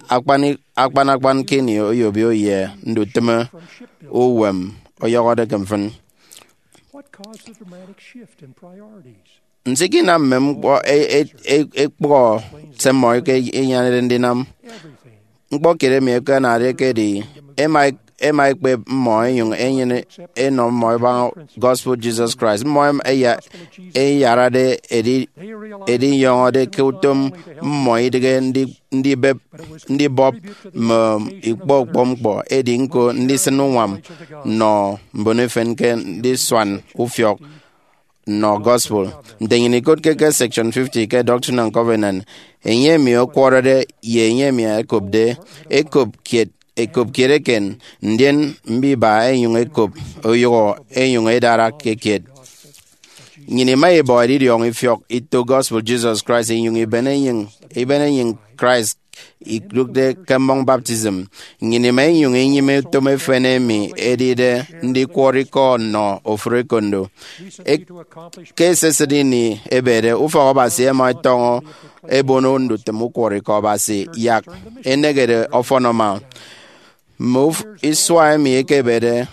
Akpan akpan ke ini oyobio ye ndutịme uwem ọyọhọde ke mfịn. Nso ikinam mme ñkpọ ẹkpọhọ se mmọ ẹkenyenede ndinam? Ñkpọ kiet emi ẹkenade ekedi, ẹma, ẹma ẹkpep mmọ ẹnyụñ ẹnyene ẹnọ mmọ ẹbaña gospel Jesus Christ. Mmọ ẹma ẹya-, ẹyarade edi-, edinyọñọde ke utom mmọ idịghe ndi-, ndibep, ndibọp mme ikpọ ukpọñ ñkpọ, edi ñko ndisịn uñwam nnọ mbon efen ke ndisuan ufiọk nnọ gospel. Nte nnyịn ikotke ke section fifty ke Doctrine and Covenant, enye emi ọkwọrọde ye enye emi ẹkopde, ẹkop kiet, ẹkop kiet eken, ndien mbiba ẹnyụñ ẹkop, oyụhọ ẹnyụñ ẹdara ke kiet. Nnyịn ima ibọ edidiọñ ifiọk ito gospel Jesus Christ inyụñ iben enyịñ, iben enyịñ Christ idụkde ke mmọñ baptism. Nnyịn ima inyụñ inyịme utom efen emi edide ndikwọrọ ikọ nnọ ofụri ekondo. E-, ke esisịt ini ebede, ufọk Abasi ẹma ẹtọñọ ẹbono ndutịm ukwọrọikọ Abasi yak ẹnehede ọfọn ẹma. Mme uf-, isua emi ẹkebede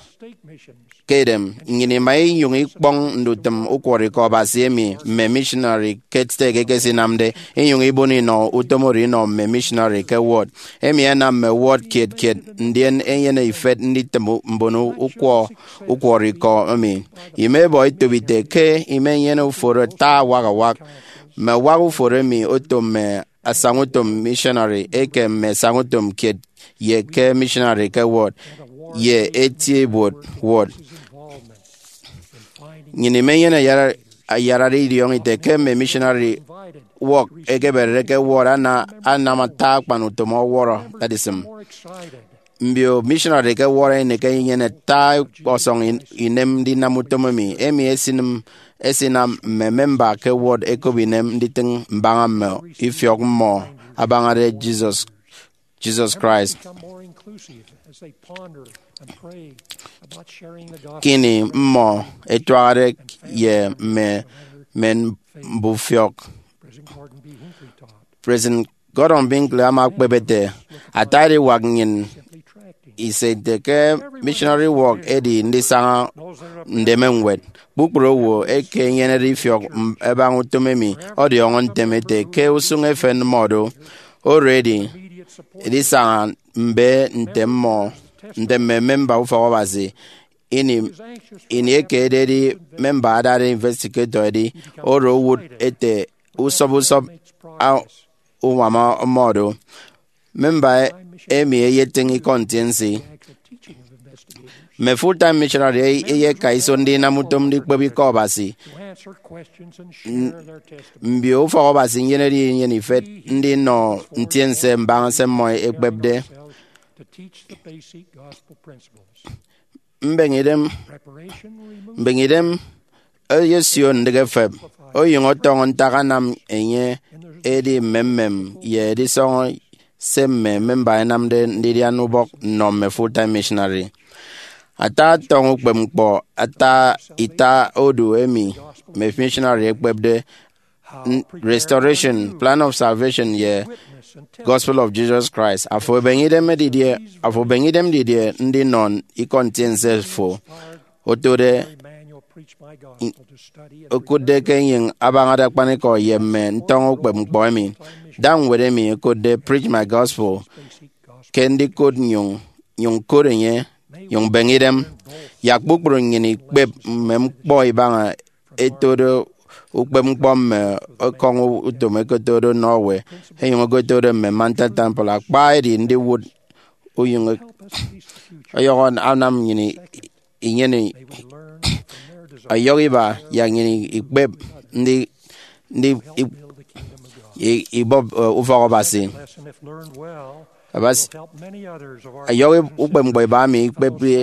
ke edem, nnyịn ima inyụñ ikpọñ ndutịm ukwọrọikọ Abasi emi mme missionary ke stek ẹkesinamde, inyụñ ibono inọ utom oro inọ mme missionary ke ward. Emi anam mme ward kiet kiet ndien ẹnyene ifet nditịm mbon ukwọ-, ukwọrọikọ emi. Ima ibọ etop ite ke imenyene uforo ata awak awak. Mme awak uforo emi oto mme asañautom missionary eke mme asañautom kiet ye ke missionary ke ward ye eti ibuot ward. Nnyịn imenyene ayara-, ayarade idiọñọ ite ke mme missionary work ẹkeberede ke ward ana-, anam ata akpan utom ọwọrọ edisịm. Mbio missionary ke ward ẹnịk ẹnyene ata ọkpọsọñ in-, inem ndinam utom emi. Emi esinịm, esinam mme memba ke ward ẹkop inem nditịñ mbaña mme ifiọk mmọ abañade Jesus, Jesus Christ. Become more inclusive as they ponder and pray about sharing the gospel. Ke ini mmọ ẹtuahade ye mme, mme mbufiọk, President Gordon B. Hinckley taught, President Gordon Hinckley ama ekpep ete, ata ediwak nnyịn ise ite ke missionary work edi ndisaña ndeme ñwed. Kpukpru owo eke enyenede ifiọk m-, ẹbaña utom emi ọdiọñọ ntem ete ke usụñ efen mmọ do. Oro edi, edisaña mbe nte mmọ, nte mme memba ufọk Abasi. Ini, ini eke ededi memba adade investigator edi, oro owụt ete usọp usọp a-, uñwam ọmọdọ. Memba emi eyetịñ ikọ ntiense. Mme full-time missionary ey-, eyeka iso ndinam utom ndikpep ikọ Abasi. N-, mbio ufọk Abasi nyenede inyene ifet ndinọ ntiense mbaña se mmọ ẹkpepde. Mbeñe idem, mbeñe idem eyesio ndịk efep, onyụñ ọtọñọ ntak anam enye edi mmemmem ye edisọñọ se mme memba ẹnamde ndidian ubọk nnọ mme full-time missionary. Ata atọñ ukpepñkpọ, ata ita odu emi mme missionary ẹkpepde, n-, Restoration, Plan of Salvation, ye Gospel of Jesus Christ. Afo ebeñe idem didie, afo ebeñe idem didie ndinọ ikọ ntiense fo otode, okụtde ke enyịñ abañade akpanikọ ye mme ntọñọ ukpepñkpọ emi? Da ñwed emi ẹkotde Preach My Gospel ke ndikụt, nyụñ, nyụñ kụt enye, nyụñ beñe idem. Yak kpukpru nnyịn ikpep mme ñkpọ ibaña ẹtode ukpepñkpọ mme ekọñ utom ẹkotode nnọ owo, ẹnyụñ ẹkotode mme Mountain Temple. Akpa edi ndiwụt unyụñ ọyọhọ anam nnyịn inyene ọyọhọ iba yak nnyịn ikpep ndi, ndi i-, i-, ibọp, eh, ufọk Abasi. Abasi, ọyọhọ ukpepñkpọ iba emi ikpepde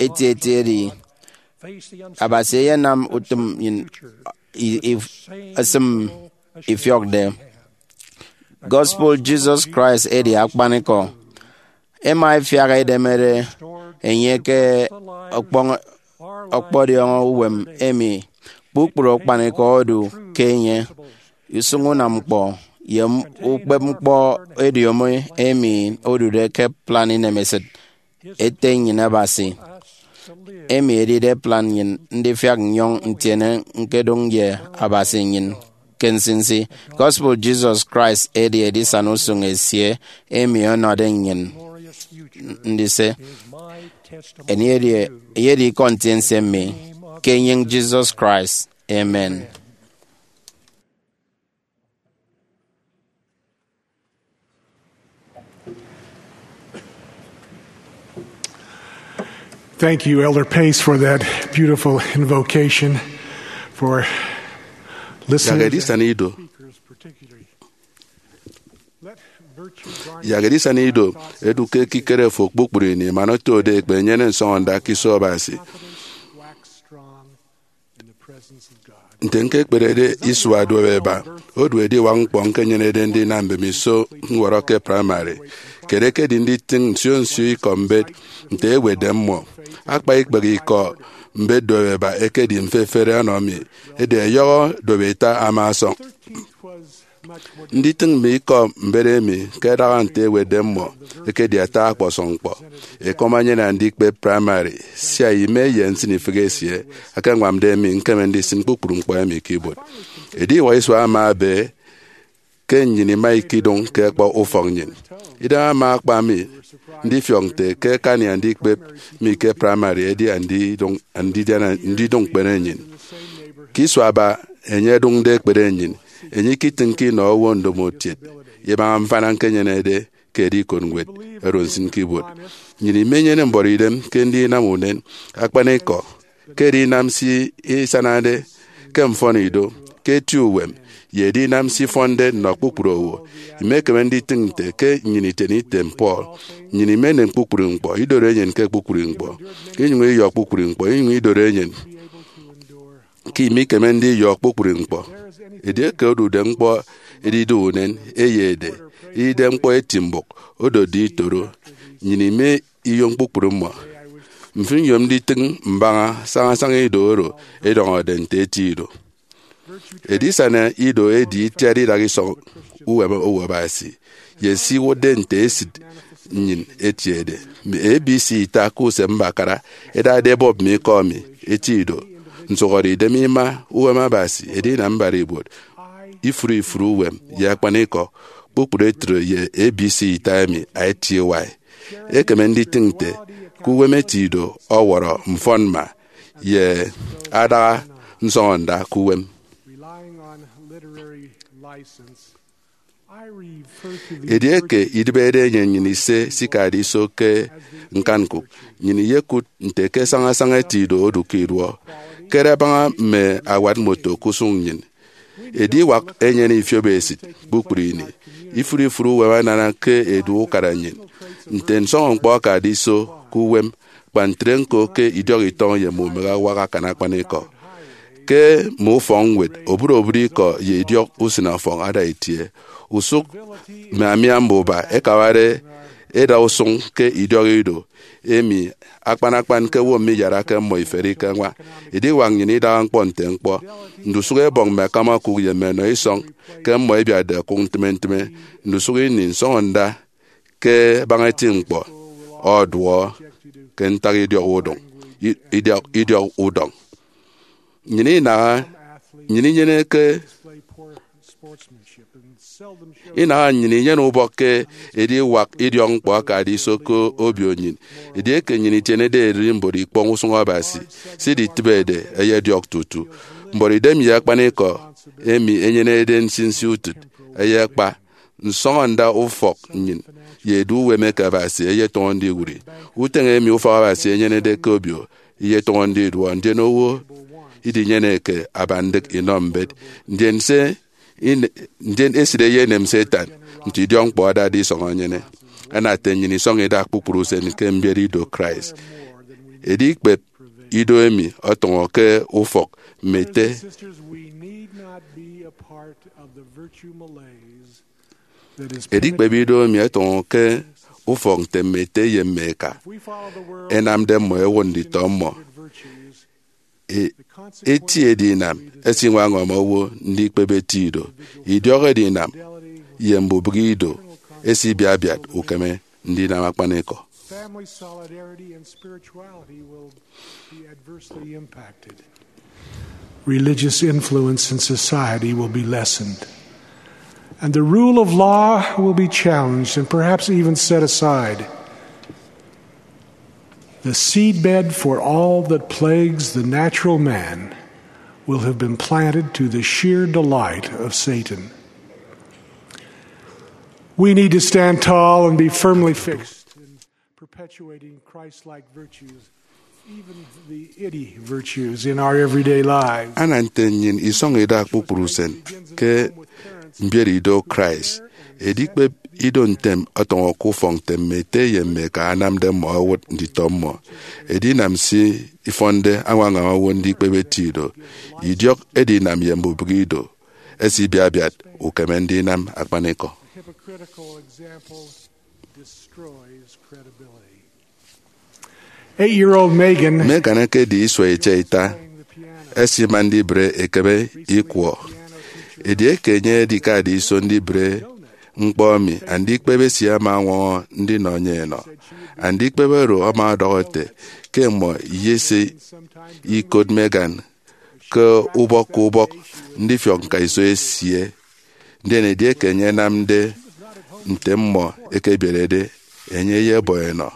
etieti edi, Abasi eyenam utom nnyịn i-, i-, esịm ifiọkde. Gospel Jesus Christ edi akpanikọ. Ẹma ẹfiak ẹdemede enye ke ọkpọñ-, ọkpọdiọñọ uwem emi kpukpru akpanikọ odu ke enye. Usụñ unam ñkpọ ye ukpepñkpọ ediomi emi odude ke plan inemesịt Ete nnyịn Abasi, emi edide plan nnyịn ndifiak nnyọñ ntiene ñkedụñ ye Abasi nnyịn. ke nsinsi. Gospel Jesus Christ edi edisana usụñ esie emi ọnọde nnyịn ndise. Emi edi, edi ikọ ntiense mi ke enyịñ Jesus Christ. Amen. Thank you, Elder Pace, for that beautiful invocation, for listeners. Yak edisana ido. Let virtue guard Yak edisana ido edu ke ekikere fo kpukpru ini, man otode ekpe enyene nsọñọnda ke iso Abasi. Confidence wax strong in the presence of God. Nte ñkekperede isua duop eba, odu ediwak ñkpọ ñkenyenede ndinam mbemiso ñwọrọ ke praịmarị. Kiet ekedi nditịñ nsio nsio ikọ mbet nte ewetde mmọ. Akpa ikpehe ikọ mbet duop eba ekedi mfefere ọnọ mi, edi ẹyọhọ duop ita ama ọsọñ. Nditịñ mme ikọ mbet emi ke ẹdaha nte ewetde mmọ ekedi ata ọkpọsọñ ñkpọ. Ekọm enyene andikpep praịmarị sia ime ye nsịnifịk esie ẹkeñwamde mi ñkeme ndisịn kpukpru ñkpọ emi ke ibuot. Ediwak isua ama ebe ke nnyịn ima ikidụñ ke ekpọ ufọk nnyịn. Idem ama akpa mi ndifiọk nte ke akani andikpep mi ke praịmarị edi andidụñ, andidiana, ndidụñ ñkpere nnyịn. Ke isua aba enye ẹdụñde ekpere nnyịn, enye ikitịñke inọ owo ndomokiet ibaña mfana ñkenyenede ke edikot ñwed oro nsịn ke ibuot. Nnyịn imenyene mbọrọidem ke ndinam unen akpanikọ ke edinam se isanade ke mfọnido, ke eti uwem, ye edinam se ifọnde nnọ kpukpru owo. Imekeme nditịñ nte ke nnyịn itiene item Paul, nnyịn imenem kpukpru ñkpọ, idoro enyịn ke kpukpru ñkpọ, inyụñ iyọ kpukpru ñkpọ, inyụñ idoro enyịn ke imikeme ndiyọ kpukpru ñkpọ. Edieke odude ñkpọ edidu unen, eyede, edide ñkpọ eti mbụk, odotde itoro, nnyịn ime iyom kpukpru mmọ. Mfịn nyom nditịñ mbaña sañasaña ido oro ẹdiọñọde nte eti ido. Edisana ido edi itiat idak isọñ uwem owo Abasi, ye se iwụtde nte esịt nnyịn etiede. Mme A B C ita ke usem mbakara ẹdade ẹbọp mme ikọ emi eti ido. Nsụhọdeidem ima uwem Abasi edinam mbara ibuot. Ifụre ifụre uwem ye akpanikọ, kpukpru etre ye A B C ita emi etiewai. Ekeme nditịñ nte ke uwem eti ido ọwọrọ mfọnmma ye adaha nsọñọnda ke uwem. Relying on literary license, I refer to the Edieke idịbede enye nnyịn ise sikade iso ke ñkanñkụk, nnyịn iyekụt nte ke sañasaña eti ido odu ke iduọ. Kere abaña mme awat moto ke usụñ nnyịn. Ediwak enyene ifiop esịt kpukpru ini. Ifụre ifụre uwem anana ke edu ukara nnyịn. Nte nsọñọ ñkpọ akade iso ke uwem, kpa ntre ñko ke idiọk itọñ ye mme umehe awak akan akpanikọ. Ke mme ufọkñwed, obụt obụt ikọ ye idiọk usịnọfọñ ada itie. Usụk mme amia mbuba ẹkawade ẹda usụñ ke idiọk ido emi akpan akpan ke owo miyarake mmọ iferi ke ñwa. Ediwak nnyịn idaha ñkpọ nte ñkpọ. Ndusụk ẹbọñ mme akam okụk ye mme enọ isọñ ke mmọ ẹbiatde okụk ntịme ntịme. Ndusụk ini nsọñọnda ke abaña eti ñkpọ ọduọ ke ntak idiọk udọñ, i-, idiọk, idiọk udọñ. Nnyịn inaha, nnyịn inyeneke, inaha nnyịn inyene ubọk ke ediwak idiọk ñkpọ akade iso ke obio nnyịn. Edieke nnyịn itienede ererimbot ikpọñ usụñ Abasi, se iditịbede ẹyediọk tutu. Mbọrọidem ye akpanikọ emi enyenede nsinsi utịt ẹyekpa. Nsọñọnda ufọk nnyịn ye edu uwem eke Abasi eyetọñọ ndiwụri. Uteñe emi ufọk Abasi enyenede ke obio eyetọñọ ndiduọ, ndien owo idinyeneke aba ndịk inọ mbet. Ndien se ine-, ndien esịt eyenem Satan nte idiọk ñkpọ adade isọñ enyene. Ana ete nnyịn isọñ ida kpukpru usen ke mbiet ido Christ. Edikpep ido emi ọtọñọ ke ufọk mme ete. Sisters, we need not be a part of the virtue malaise that is Edikpep ido emi ẹtọñọ ke ufọk nte mme ete ye mme eka ẹnamde mmọ ẹwụt nditọ mmọ. E-, eti edinam ẹsiñwaña owo ndikpep eti ido. Idiọk edinam ye mbubịk ido ẹsibiat biat ukeme ndinam akpanikọ. Family solidarity and spirituality will be adversely impacted. religious influence in society will be lessened, and the rule of law will be challenged and perhaps even set aside. The seedbed for all that plagues the natural man will have been planted to the sheer delight of Satan. We need to stand tall and be firmly fixed in perpetuating Christ-like virtues, even the itty virtues, in our everyday lives. Ana nte nnyịn isọñ idak kpukpru usen ke mbiet ido Christ, edikpep ido ntem ọtọñọ ke ufọk nte mme ete ye mme eka anamde mmọ ẹwụt nditọ mmọ. Edinam se ifọnde añwaña owo ndikpep eti ido, idiọk edinam ye mbubịk ido, ẹsibiabiat ukeme ndinam akpanikọ. Hypocritical example destroys credibility. Eight-year-old Megan Megan ekedi isua itiaita, esima ndibre ekeme ikwọ. Edieke enye edikade iso ndibre ñkpọ emi, andikpep esie ama ọñwọñọ ndinọ enye enọ. Andikpep oro ama ọdọhọ ete ke mmọ iyese ikot Megan ke ubọk ke ubọk ndifiọk ñkaiso esie. Ndien edieke enye enamde nte mmọ ẹkebierede, enye eyebọ enọ.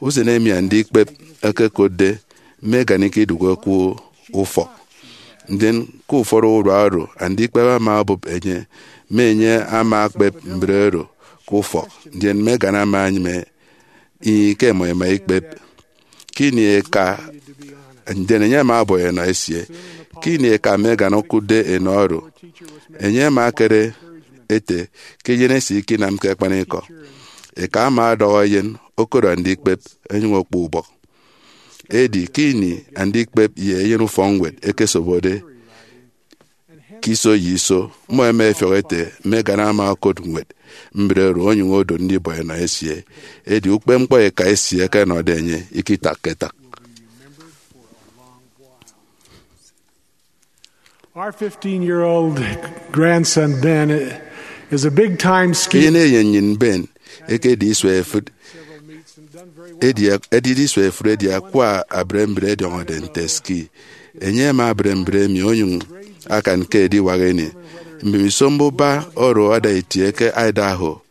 Usen emi andikpep ẹkekotde Megan ikidukke ke ufọk. Ndien ke ufọt urua oro, andikpep ama obụp enye, mme enye ama akpep mbre oro ke ufọk. Ndien Megan ama enyịme, ih, ke ẹmọ ẹma ikpep. Ke ini eka, ndien enye ama ọbọ enọ esie. Ke ini eka Megan okụtde enọ oro, enye ama ekere ete ke eyen esie ikinamke akpanikọ. Eka ama ọdọhọ eyen okodu andikpep, ẹnyụñ okpọ ubọk. Edi ke ini andikpep ye eyen ufọkñwed ẹkesobode ke iso ye iso, mmọ ẹma ẹfiọk ete Megan ama okot ñwed mbre oro onyụñ odo ndibọ enọ esie. Edi ukpepñkpọ eka esie ẹkenọde enye ikitakke-tak. Our fifteen-year-old grandson Ben is a big-time skier. Eyen eyen nnyịn Ben ekedi isua efịt edi, edide isua efịt edi akwa abre mbre ẹdiọñọde nte ski. Enye ama abre mbre emi onyụñ akan ke ediwak ini. Mbemiso mbuba oro ada itie ke Idaho,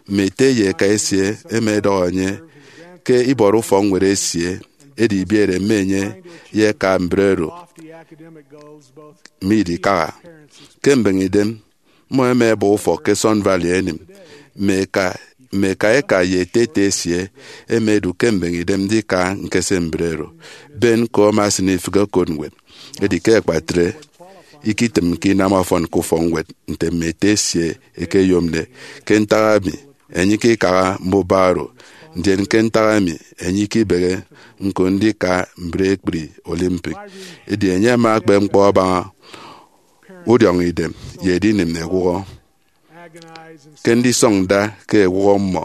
mme ete ye eka esie ẹma ẹdọhọ enye ke ibọrọ ufọkñwed esie, edi ibiere mme enye ye eka mbre oro midikaha. Ke mbeñe idem, mmọ ẹma ẹbọ ufọk ke Sun Valley ẹnịm. Mme eka, mme eka eka ye ete ete esie ẹma ẹdu ke mbeñe idem ndika ñkese mbre oro. Ben ko ama esịn ifịk okot ñwed. Edi ke akpatre, ikitịmke inam ọfọn ke ufọkñwed nte mme ete esie ẹkeyomde. Ke ntak emi, enye ikikaha mbuba oro. Ndien ke ntak emi, enye ikibehe ñko ndika mbre ekpri Olympic. Edi enye ama akpep ñkpọ abaña udiọñ idem ye edinịm ewụhọ. Ke ndisọñ nda ke ewụhọ mmọ,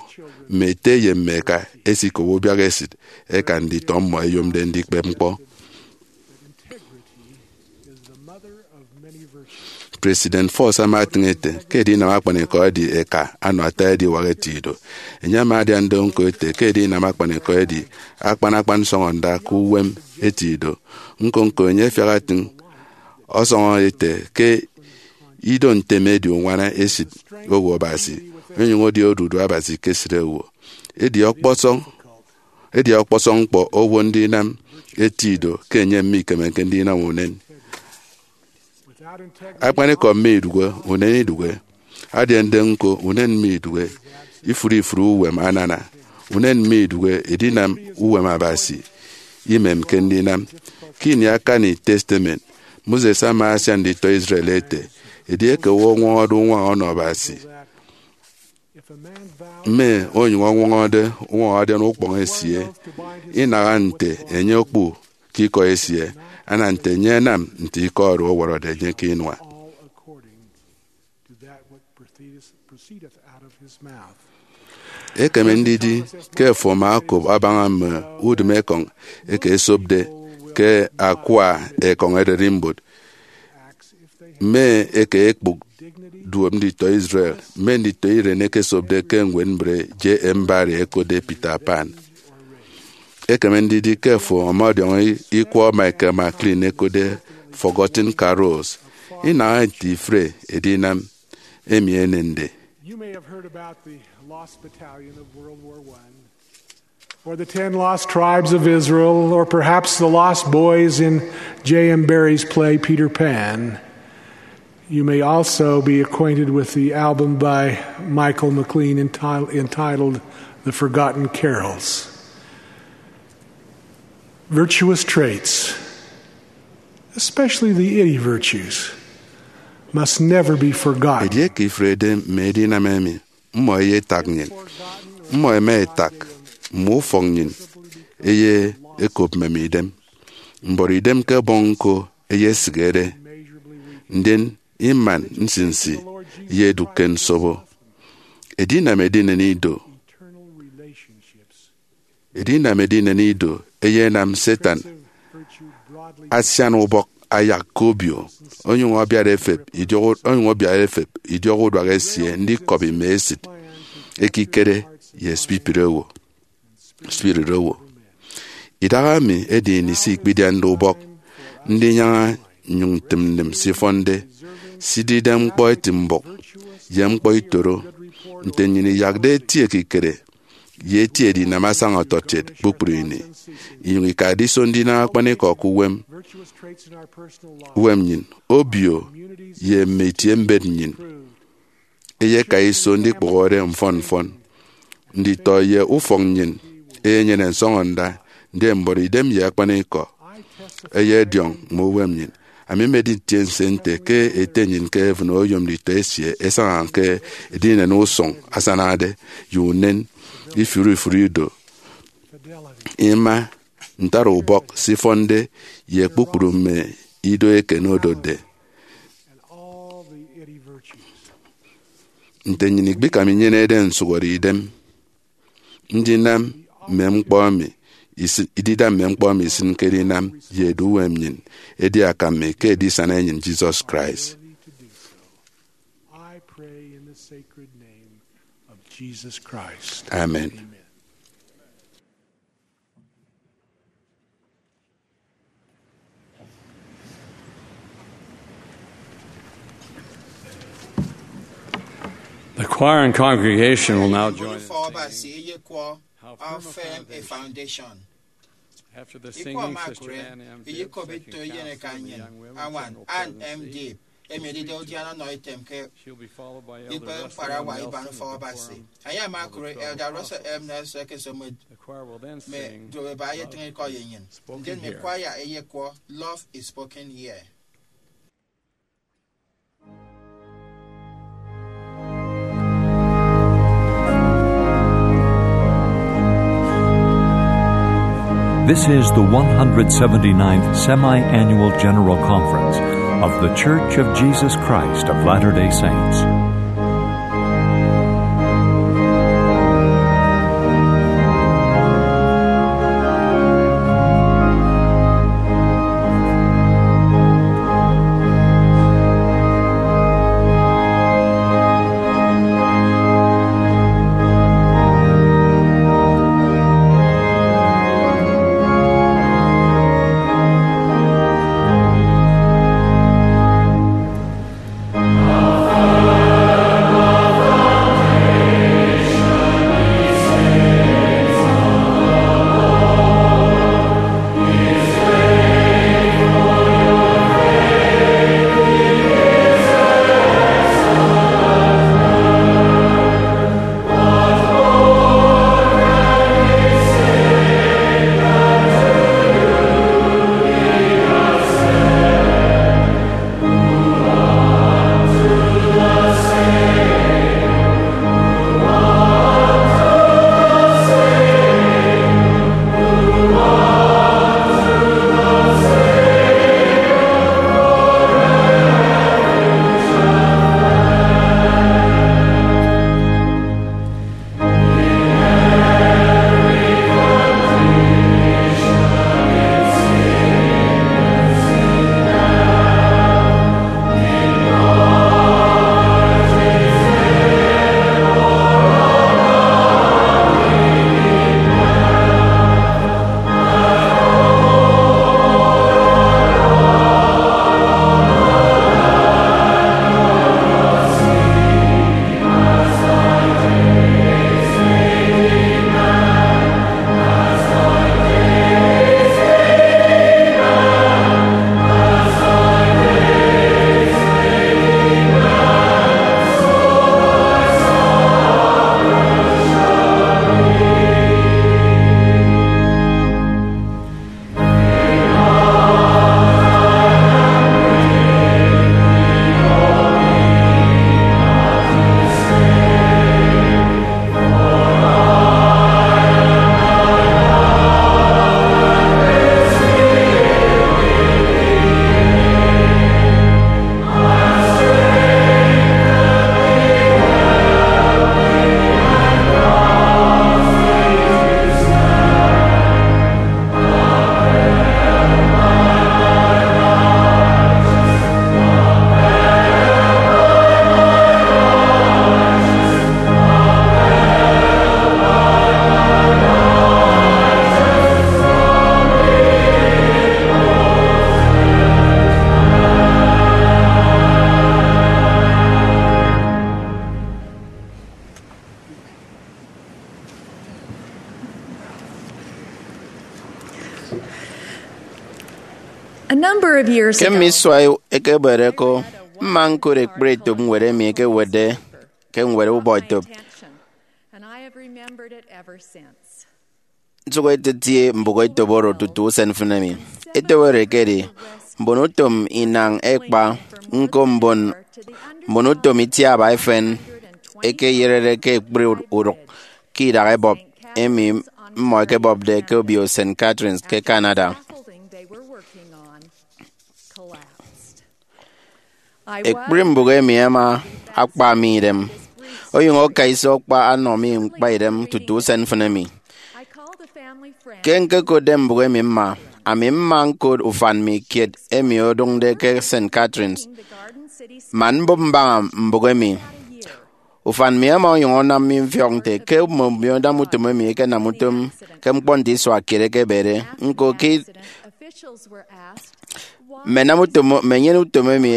mme ete ye mme eka ẹsikobo ubiak esịt ẹkan nditọ mmọ ẹyomde ndikpep ñkpọ. President Faust ama etịñ ete ke edinam akpanikọ edi eka anọ ata ediwak eti ido. Enye ama adian do ñko ete ke edinam akpanikọ edi akpan akpan nsọñọnda ke uwem eti ido. Ñko-ñko enye afiak atịñ ọsọñọ ete ke ido ntem edi uñwana esịt owo Abasi, onyụñ edi odudu Abasi ke esịt owo. Edi ọkpọsọñ, edi ọkpọsọñ ñkpọ owo ndinam eti ido ke enye mikemeke ndinam unen. Akpanikọ mme idụhe, unen idụhe. Adiande ñko, unen mme idụhe. Ifụre ifụre uwem anana. Unen mme idụhe edinam uwem Abasi imemke ndinam. Ke ini akani Testament, Moses ama asian nditọ Israel ete, edieke owo ọñwọñọde uñwaña ọnọ Abasi, mme onyụñ ọñwọñọde uñwaña adian ukpọñ esie, inaha nte enye okpu ke ikọ esie, ana nte enye anam nte ikọ oro ọwọrọde enye ke inua. Ekeme ndidi ke fo ama okop abaña mme udịm ekọñ eke esopde ke akwa ekọñ ererimbot. Mme eke ekpụk duop nditọ Israel, mme nditọ iren ẹkesopde ke ñwed mbre J. M. Barrie ẹkotde Peter Pan. Ekeme ndidi ke fo ama ọdiọñọ ikwọ Michael McLean ẹkotde Forgotten Carols, inaha nte ifụre edinam emi enende. You may have heard about the Lost Battalion of World War One, or the Ten Lost Tribes of Israel, or perhaps the Lost Boys in J M Barrie's play Peter Pan. You may also be acquainted with the album by Michael McLean enti- entitled The Forgotten Carols. Virtuous traits, especially the itty virtues, must never be forgotten. Edieke ifrede mme edinam emi, mmọ eyetak nnyịn. Mmọ ẹma ẹtak mme ufọk nnyịn, eye ekop mmem idem. Mbọrọ idem ke Ẹbọñ Ñko eyesịkede, ndien iman nsinsi ye edụk ke nsobo. Edinam edinen ido. Edinam edinen ido eyenam Satan asian ubọk ayak ke obio, onyụñ ọbiat efep idiọk, onyụñ ọbiat efep idiọk uduak esie ndikọbi mme esịt, ekikere, ye spirit owo. Spirit owo. Idahaemi edi ini se ikpidiande ubọk ndinyaña nnyụñ ntịm nnịm se ifọnde, sidide ñkpọ eti mbụk ye ñkpọ itoro, nte nnyịn iyakde eti ekikere ye eti edinam asaña ọtọkiet kpukpru ini, inyụñ ikade iso ndinam akpanikọ ke uwem, uwem nnyịn, obio, ye mme itie mbet nnyịn. Eyeka iso ndikpụhọre mfọn mfọn. Nditọ ye ufọk nnyịn eyenyene nsọñọnda, ndien mbọrọ idem ye akpanikọ eyediọñ mme uwem nnyịn. Ami mmedi ntiense nte ke Ete nnyịn ke heaven oyom nditọ esie ẹsaña ke edinen usụñ asanade ye unen ifụre ifụre ido, ima, ntara ubọk se ifọnde, ye kpukpru mme ido eken odotde. Nte nnyịn ikpikam inyenede nsụhọre idem ndinam mme ñkpọ emi isi-, idida mme ñkpọ emi isịnke edinam ye edu uwem nnyịn, edi akam mi ke edisana enyịn Jesus Christ. I pray in the sacred name of Jesus Christ. Amen. Amen. The choir and congregation will now join in singing How Firm a Foundation. Ufọk Abasi eyekwọ How Firm a Foundation. After the singing, Sister Ann M. Gibb, second counselor of the Young Women General Choir, will present the song How Firm a Foundation. Ikọ ọmakụre eyekwọbetọ eyenek annyịñ añwan Ann M. Gibb, emi edide udiana ọnọ item ke She'll be followed by Elder ikpe Russell M. mkparawa Nelson iban of the Ufọk Abasi. Quorum Anyị ama of the akụre Twelve Elder Russell M. Apostles. Nelson eke esomo The choir will then mme sing Love Is Spoken Here. Ndụk ebe ayetrịñikọ ye nnyịn. Ndien mme kwaya eyekwọ Love Is Spoken Here. This is the one hundred seventy-ninth Semi-Annual General Conference of The Church of Jesus Christ of Latter-day Saints. Ke mme isua ekebere ko, mma ñkụt ekpri etop ñwed emi ẹkewetde ke ñwed ubọketop. Nsụk etetie mbụk etop oro tutu usen mfịn emi. Etop oro ekedi mbonutom inañ ekpa, ñko mbon mbonutom itiaba efen ẹkeyerede ke ekpri urụk ke idak ebọp emi mmọ ẹkebọpde ke obio Saint Catharines ke Canada. Ekpri mbụk emi ama akpa mi idem, onyụñ aka iso akpa ọnọ mi ñkpaidem tutu usen mfịn emi. Ke ñkekotde mbụk emi mma, ami mma ñkot ufan mi kiet emi odụñde ke Saint Catharines man mbụp mbaña mbụk emi. Ufan mi ama onyụñ anam mi mfiọk nte ke mme mbiomo-utom emi ẹkenam utom ke ñkpọ nte isua kiet ẹkebede. Ñko ke mme ẹnam utom, mme ẹnyene utom emi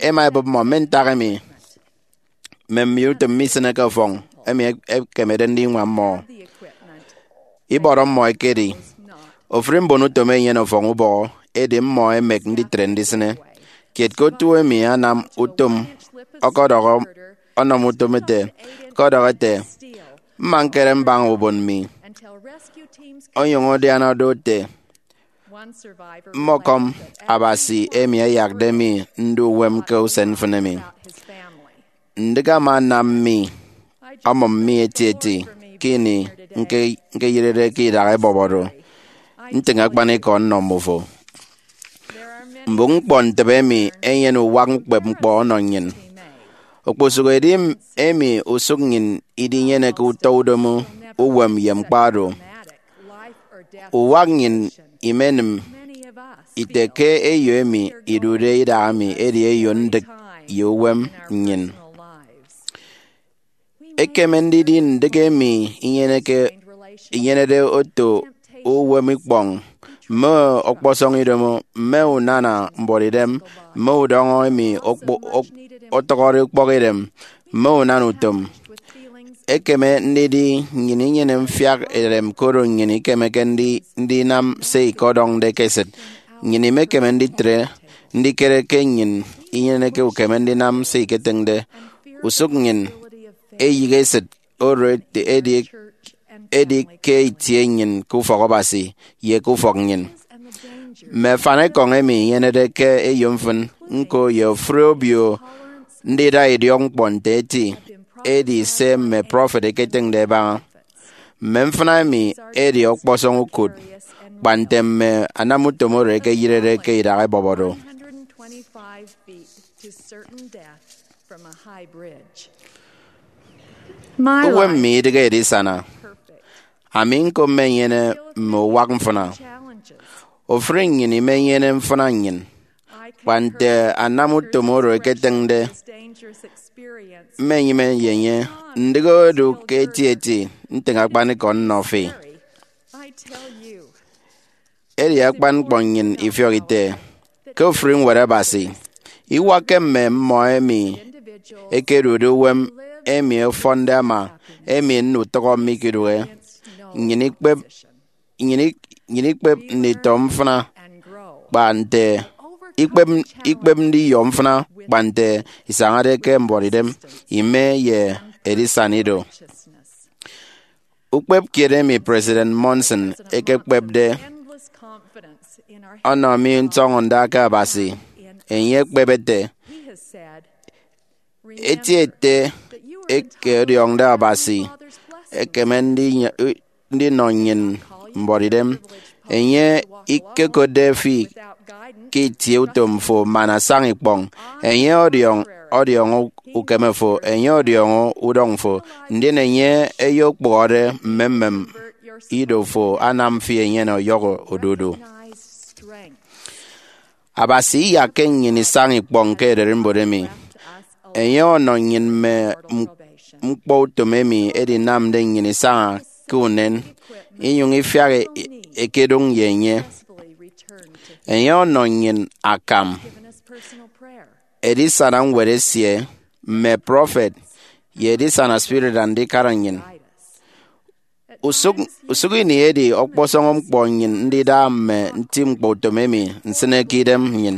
ẹma ẹbụp mmọ mme ntak emi mme mbiomo-utom misịneke ọfọñ emi ẹkemede ndiñwam mmọ. Ibọrọ mmọ ekedi ofụri mbonutom ẹnyene ọfọñ ubọhọ, edi mmọ ẹmek nditre ndisịne. Kiet ke otu emi anam utom ọkọdọhọ, ọnọ mi utom ete, ọkọdọhọ ete, mma ñkere mbaña ubon mi, onyụñ adiana do ete, mmọkọm Abasi emi ayakde mi ndu uwem ke usen mfịn emi. Ndịk ama anam mi, ọmụm mi etieti ke ini ñke-, ñkeyerede ke idak ebọp oro. Ntịñ akpanikọ nnọ mmufo. Mbụk ñkpọ ntịbe emi enyene uwak ukpep ñkpọ ọnọ nnyịn. Okposụk edi emi usụk nnyịn idinyeneke utọ udomo, uwem, ye ñkpa oro. Uwak nnyịn imenịm ite ke eyo emi idude idahaemi edi eyo ndịk ye uwem nnyịn. Ekeme ndidi ndịk emi inyeneke, inyenede oto uwem ikpọñ, mme ọkpọsọñ idomo, mme unana mbuọtidem, mme udọñọ emi okpo-, ok-, ọtọhọde ukpọkidem, mme unana utom. Ekeme ndidi nnyịn inyene mfiak edem koro nnyịn ikemeke ndi-, ndinam se ikọdọñde ke esịt. Nnyịn imekeme nditre ndikere ke nnyịn inyeneke ukeme ndinam se iketịñde. Usụk nnyịn eyịghe esịt oro edi, edi ke itie nnyịn ke ufọk Abasi ye ke ufọk nnyịn. Mme afanikọñ emi inyenede ke eyo mfịn, ñko ye ofụri obio ndida idiọkñkpọ nte eti, edi se mme prọfet ẹketịñde ẹbaña. Mme mfịna emi edi ọkpọsọñ ukụt, kpa nte mme anamutom oro ẹkeyịrede ke idak ebọp oro. Uwem mi idịghe edisana. Ami ñko mmenyene mme uwak mfịna. Ofụri nnyịn imenyene mfịna nnyịn, kpa nte anamutom oro ẹketịñde. Mmenyịme ye enye, ndịk odu ke etieti ntịñ akpanikọ nnọ fi. Edi akpan ñkpọ nnyịn ifiọk ite ke ofụri Ñwed Abasi, iwakke mme mmọ emi ẹkedude uwem emi ọfọnde ama, emi nnọ utọk mikidụhe. Nnyịn ikpep, nnyịn ik-, nnyịn ikpep nditọ mfịna kpa nte ikpep, ikpep ndiyọ mfịna kpa nte isañade ke mbuọtidem, ime, ye edisana ido. Ukpep kiet emi President Monson ekekpepde ọnọ mi ntọñọnda ke Abasi. Enye ekpep ete, eti ete eke ọdiọñde Abasi ekeme ndi-, ndinọ nnyịn mbuọtidem. Enye ikekotde fi ke itie utom fo man asaña ikpọñ. Enye ọdiọñ, ọdiọñọ ukeme fo. Enye ọdiọñọ udọñ fo. Ndien enye eyokpụhọde mmemmem ido fo, anam fi enyene ọyọhọ odudu. Abasi iyakke nnyịn isaña ikpọñ ke ererimbot emi. Enye ọnọ nnyịn mme m-, ñkpọ utom emi edinamde nnyịn isaña ke unen, inyụñ ifiak e-, ekedụñ ye enye. Enye ọnọ nnyịn akam, edisana ñwed esie, mme prọfet, ye edisana spirit andikara nnyịn. Usụk, usụk ini edi ọkpọsọñ ñkpọ nnyịn ndida mme nti ñkpọutom emi nsịne ke idem nnyịn.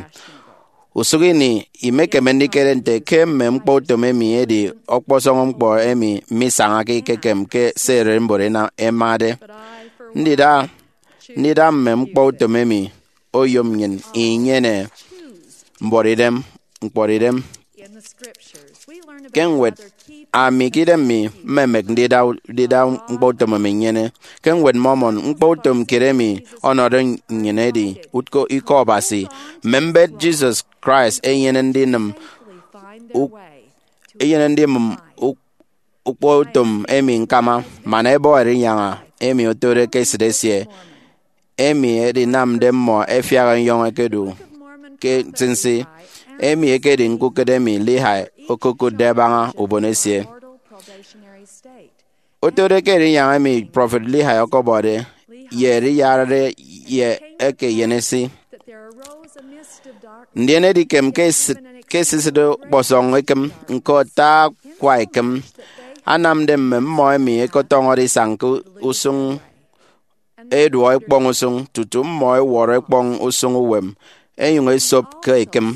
Usụk ini, imekeme ndikere nte ke mme ñkpọutom emi edi ọkpọsọñ ñkpọ emi misañake ikekem ke se ererimbot ẹmade. Ndida, ndida mme ñkpọutom emi oyom nnyịn inyene mbuọtidem, ñkpọtidem. Ke ñwed, ami ke idem mi mmemek ndida, ndida ñkpọutom emi nnyene. Ke ñwed Mormon, ñkpọutom kiet emi ọnọde nnyịn edi utko Ikọ Abasi. Mme mbet Jesus Christ ẹnyene ndinịm uk-, ẹnyene ndinịm uk-, ukpọutom emi ñkama, man ẹbọ Erinyaña emi otode ke esịt esie, emi edinamde mmọ ẹfiak ẹnyọñ ẹkedu ke nsinsi. Emi ekedi ñkukụt emi Lehi okokụtde ẹbaña ubon esie. Otode ke Erinyaña emi prọfet Lehi ọkọbọde ye eriyarade ye eke eyenesi. Ndien edikem ke esisịt, ke esisịt ọkpọsọñ ekịm, ñko ata akwa ekịm anamde mme mmọ emi ẹkọtọñọde isañ ke usụñ eduọ ẹkpọñ usụñ, tutu mmọ ẹwọrọ ẹkpọñ usụñ uwem, ẹnyụñ ẹsop ke ekịm.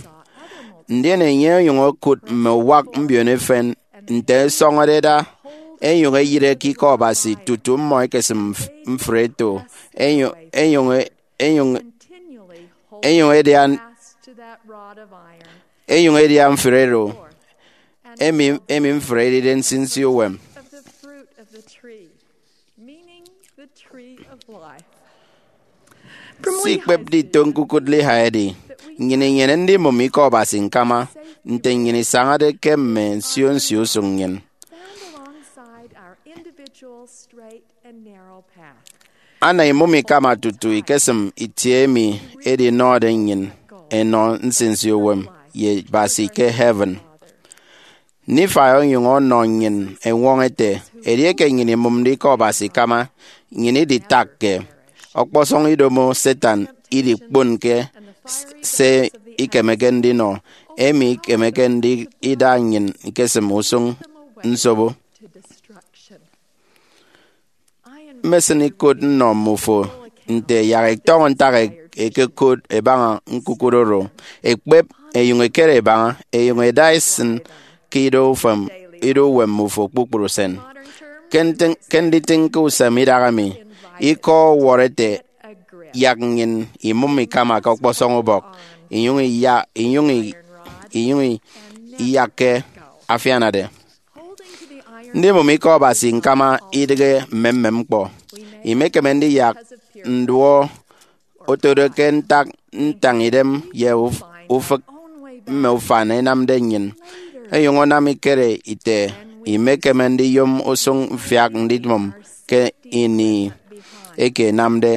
Ndien enye onyụñ okụt mme uwak mbiono efen nte ẹsọñọde ẹda, ẹnyụñ ẹyịre ke Ikọ Abasi tutu mmọ ẹkesịm mf-, mfre eto, ẹnyụñ, ẹnyụñ, ẹnyụñ, ẹnyụñ ẹdia, ẹnyụñ ẹdia mfre oro, emi, emi mfre edide nsinsi uwem. Meaning the tree of life. Si ikpepde ito ñkukụt Lehi edi, nnyịn inyene ndimụm Ikọ Abasi ñkama nte nnyịn isañade ke mme nsio nsio usụñ nnyịn. Stand alongside our individual straight and narrow path. Ana imụm ikama tutu ikesịm itie emi edinọde nnyịn enọ nsinsi uwem ye Abasi ke heaven. Nephi onyụñ ọnọ nnyịn eñwọñọ ete, edieke nnyịn imụmde Ikọ Abasi ikama, nnyịn iditakke. Ọkpọsọñ idomo Satan idikponke s-, se ikemeke ndinọ, emi ikemeke ndida nnyịn ikesịm usụñ nsobo. Mmesịn ikụt nnọ mmufo nte yak ẹtọñọ ntak e-, ẹkekot ẹbaña ñkukụt oro, ẹkpep, ẹnyụñ ẹkere ẹbaña, ẹnyụñ ẹda ẹsịn ke ido ufan, ido uwem mmufo kpukpru usen. Ke ntịñ-, ke nditịñ ke usem idahaemi, ikọ ọwọrọ ete, yak nnyịn imụm ikama ke ọkpọsọñ ubọk, inyụñ iya-, inyụñ i-, inyụñ i-, iyakke afianade. Ndimụm Ikọ Abasi ñkama idịghe mmemmem ñkpọ. Imekeme ndiyak nduọ otode ke ntak ntañidem ye uf-, ufịk mme ufan ẹnamde nnyịn, ẹnyụñ ẹnam ikere ite imekeme ndiyom usụñ mfiak ndimụm ke ini eke ẹnamde.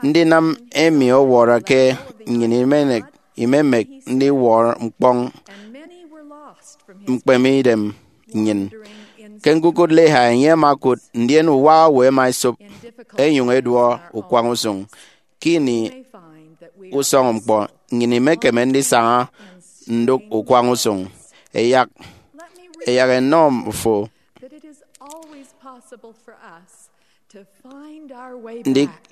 Ndinam emi ọwọrọ ke nnyịn imenek, imemek ndiwọrọ ñkpọñ mkpeme idem nnyịn. Ke ñkukụt Lehi, enye ama okụt, ndien uwa owo ẹma ẹsop, ẹnyụñ ẹduọ ukwañ usụñ. Ke ini usọñ ñkpọ, nnyịn imekeme ndisaña ndụk ukwañ usụñ. Ẹyak, ẹyak ẹnọ fo that it is always possible for us to find our way ndi-, back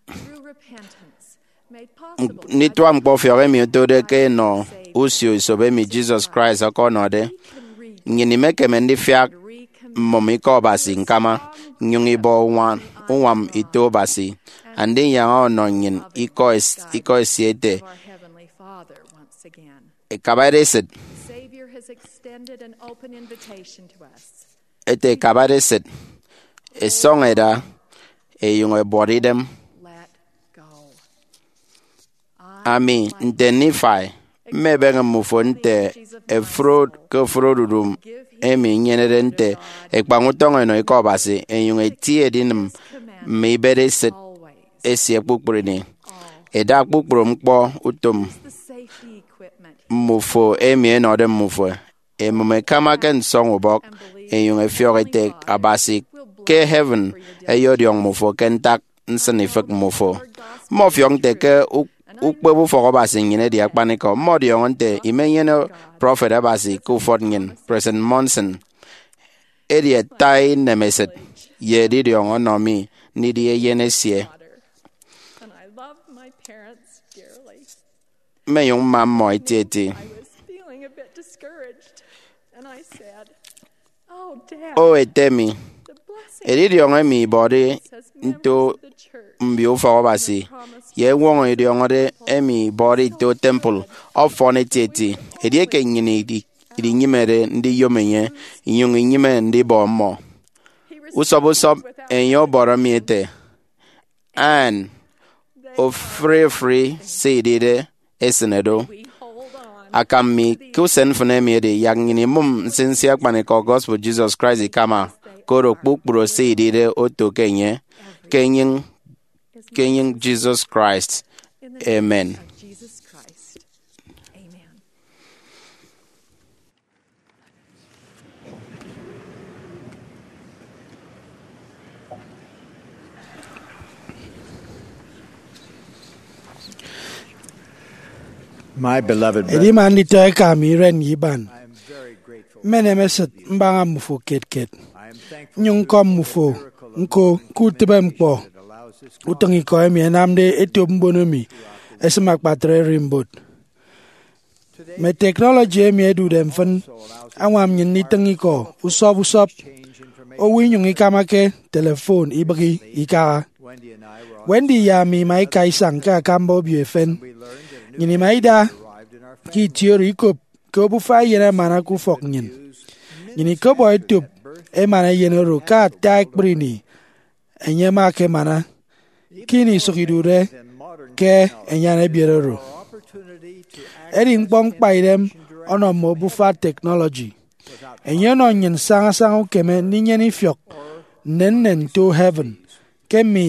through repentance made possible by nditụa ñkpọfiọk emi otode ke enọ usio esop emi Jesus Christ ọkọnọde. Nnyịn imekeme ndifiak mmụm Ikọ Abasi ñkama, nnyụñ ibọ uñwa-, uñwam ito Abasi, Andinyaña ọnọ nnyịn Ikọ es-, Ikọ esie ete, our Heavenly Father once again. Ẹkabade esịt. The Savior has extended an open invitation to us. Ete ẹkabade esịt, ẹsọñ ẹda, ẹnyụñ ẹbuọt idem. Let go. Ami, nte Nephi, mmebeñe mmufo nte efrod ke ofụri odudu emi inyenede nte ekpañ utọñ enọ Ikọ Abasi, ẹnyụñ ẹti edinịm mme ibet esịt esie kpukpru ini. Ẹda kpukpru ñkpọ utom mmufo emi ẹnọde mmufo. Ẹmụm ẹkama ke nsọñ ubọk, ẹnyụñ ẹfiọk ẹte Abasi ke heaven ẹyọdiọñ mmufo ke ntak nsịnifịk mmufo. Mmọfiọk nte ke uk-, ukpep ufọk Abasi nnyịn edi akpanikọ. Mmọdiọñọ nte imenyene prọfet Abasi ke ufọt nnyịn, President Monson. Edi ata inemesịt ye edidiọñ ọnọ mi ndidi eyen esie. Mmenyụñ mma mmọ etieti. O ete mi, edidiọñ emi ibọde nto mbio ufọk Abasi ye eñwọñọ idiọñọde emi ibọde ito temple ọfọn etieti, edieke nnyịn idi- idinyịmede ndiyom enye, inyụñ inyịme ndibọ mmọ. Usọp usọp enye ọbọrọ mi ete, Ann, ofụri ofụri se idide esịne do. Akam mi ke usen mfịn emi edi yak nnyịn imụm nsinsi akpanikọ gospel Jesus Christ ikama, koro kpukpru se idide oto ke enye, ke enyịñ, ke enyịñ Jesus Christ. Amen. My beloved brethren, edima nditọ eka mi iren ye iban, I am very grateful. Mmenem esịt mbaña mmufo kiet kiet. I am thankful. Nnyụñ nkọm mmufo nko ke utịbe ñkpọ utịñikọ emi ẹnamde etop mbon emi ẹsịm akpatre ererimbot. Mme teknọlọji emi ẹdude mfịn añwam nnyịn nditịñ ikọ usọp usọp. Owo inyụñ ikamake telefon ibịghi ikaha. Wendy ye ami ima ika isañ ke akamba obio efen. Nnyịn ima ida ke itie oro ikop ke obufa eyen emana ke ufọk nnyịn. Nnyịn ikọbọ etop emana eyen oro ke ata ekpri ini enye ama ekemana, ke ini isụk idude ke enyan ebiet oro. Edi ñkpọ ñkpaidem ọnọ mme obufa teknọlọji. Enye ọnọ nnyịn sañasaña ukeme ndinyene ifiọk nnennen nto heaven ke mme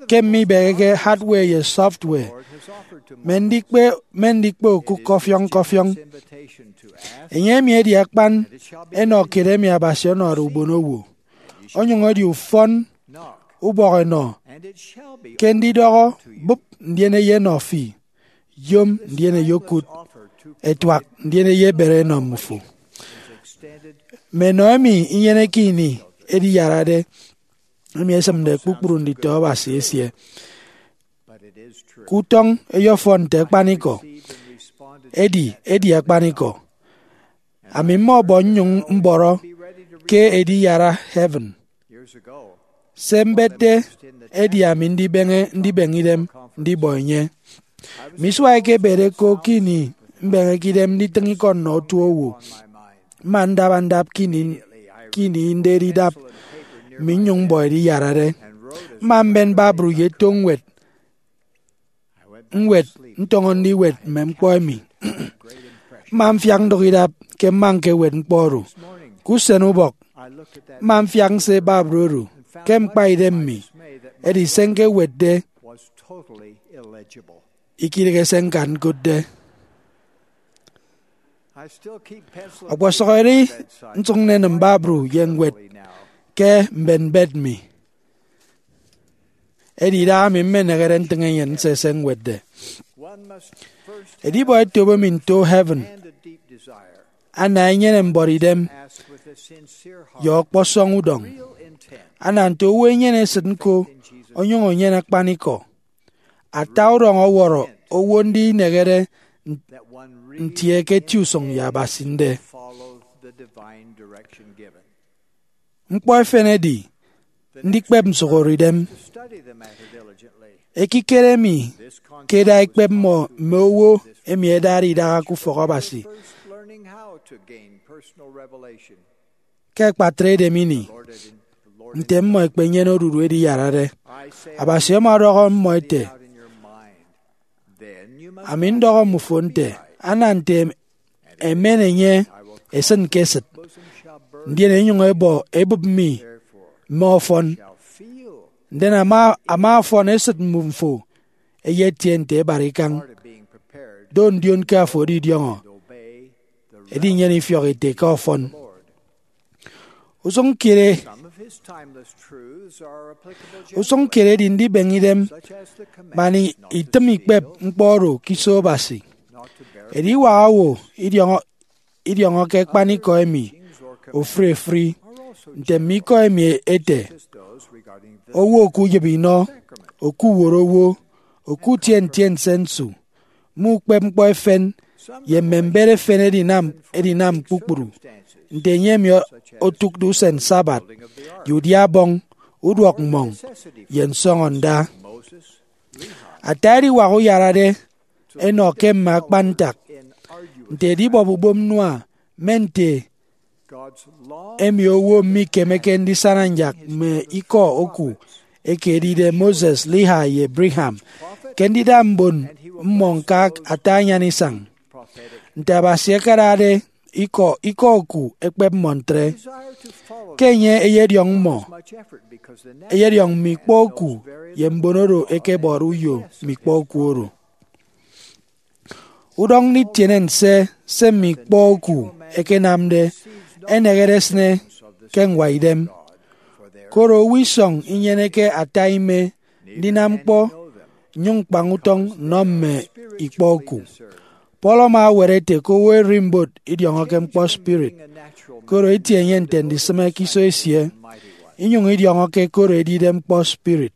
ke mme ibeheke hardware ye software, mme ndikpe mme ndikpe okụk kọfiọñ kọfiọñ. Enye emi edi akpan enọ kiet emi Abasi ọnọde ubonowo, onyụñ edi ufọn ubọk enọ ke ndidọhọ, bụp, ndien eyenọ fi, yom, ndien eyokụt, ẹtuak, ndien eyebere ẹnọ mmufo. Mme enọ emi inyeneke ini ediyarade emi esịmde kpukpru nditọ Abasi esie. Ke utọñ eyefọn nte akpanikọ, edi edi akpanikọ. Ami mmọbọ nnyụñ mbọrọ ke ediyara heaven. Se mbetde edi ami ndibeñe ndibeñe idem ndibọ enye. Misuakke ebede ko ke ini mbeñeke idem nditịñ ikọ nnọ otuowo. Mma ndaba ndap ke ini ke ini ndedi idap mi nnyụñ mbọ ediyarade. Mma mben babru ye eto ñwed ñwed ntọñọ ndiwet mme ñkpọ emi. Mma mfiak ndụk idap ke mma ñkewet ñkpọ oro. Ke usen ubọk, mma mfiak nse babru oro ke ñkpaidem mi, edi se ñkewetde ikidịghe se ñkan ñkotde. Ọkpọsọk edi nsụk nnenịm babru ye ñwed ke mbenbet mi. Edi idahaemi mmenehede ntịñ enyịn nse se ñwetde. Edibọ etop emi nto heaven ana enyene mbuọtidem ye ọkpọsọñ udọñ. Ana nte owo enyene esịt ñko onyụñ enyene akpanikọ. Ata udọñ ọwọrọ owo ndinehede ntie ke eti usụñ ye Abasi nde. Ñkpọ efen edi ndikpep nsụhọre idem. Ekikere emi ke eda ikpep mmọ mme owo emi ẹdade idaha ke ufọk Abasi ke akpatre edem ini, nte mmọ ẹkpenyene odudu ediyarade. Abasi ama ọdọhọ mmọ ete, Ami ndọhọ mmufo nte, ana nte emen enye esịn ke esịt, ndien enyụñ ebọ ebịp mi mme ọfọn. Ndien ama ama ọfọn esịt mmufo eyetie nte ebat ikañ. Do ndion ke afo edidiọñọ, edinyene ifiọk ete ke ọfọn. Usụñ kiet e- usụñ kiet edi ndibeñe idem man i- itịm ikpep ñkpọ oro ke iso Abasi. Ediwak owo idiọñọ idiọñọke akpanikọ emi ofụri efụri. Nte mme ikọ emi ete, owo okuyịp inọ, okuworo owo, okutie ntiense nsu, mme ukpep ñkpọ efen, ye mme mbet efen edinam edinam kpukpru nte enye emi otụkde usen Sabbath, ye udia-abọñ, uduọk mmọñ, ye nsọñọ nda. Ata ediwak uyarade enọ ke mme akpan ntak, nte edibọp ubom Noah, mme nte emi owo mikemeke ndisana nyak mme ikọ oku eke edide Moses, Lehi, ye Brigham, ke ndida mbon mmọ ñka ata anyan isañ. Nte Abasi akadade ikọ ikọ oku ekpep mmọ ntre, ke enye eyediọñ mmọ, eyediọñ mme ikpọ oku ye mbon oro ẹkebọde uyo mme ikpọ oku oro. Udọñ nditiene nse se mme ikpọ oku ẹkenamde enehede esịne ke ñwaidem, koro owo isọñ inyeneke ata ime ndinam ñkpọ nnyụñ ñkpañ utọñ nnọ mme ikpọ oku. Paul ama ewet ete ke owo ererimbot idiọñọke ñkpọ spirit, koro etie enye nte ndisịme ke iso esie, inyụñ idiọñọke koro edide ñkpọ spirit.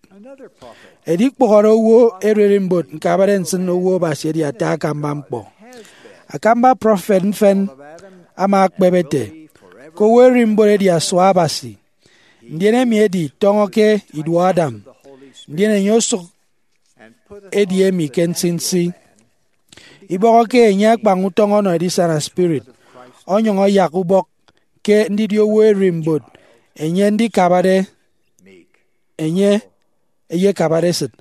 Edikpụhọde owo ererimbot ñkabade nsịn owo Abasi edi ata akamba ñkpọ. Akamba prọfet mfịn ama ekpep ete ke owo ererimbot edi asua Abasi, ndien emi edi tọñọ ke iduọ Adam, ndien enye osụk edi emi ke nsinsi. Ibọhọke enye akpañ utọñ ọnọ edisana spirit, onyụñ ọyak ubọk ke ndidi owo ererimbot enye ndikabade enye eyekabade esịt,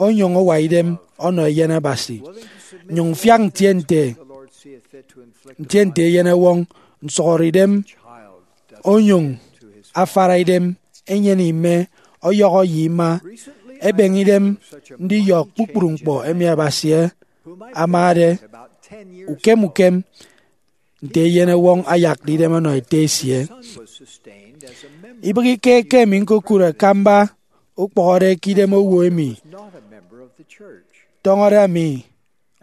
onyụñ awa idem ọnọ Eyen Abasi, nyụñ mfiak ntie nte ntie nte eyenewọñ nsụhọre idem, onyụñ afara idem, enyene ime, ọyọhọ ye ima, ebeñe idem ndiyọ kpukpru ñkpọ emi Abasi amade. Ukem ukem, nte eyenewọñ ayakde idem ọnọ ete esie. Ibịghike ke emi ñkokụt akamba ukpọhọde ke idem owo emi tọñọde ami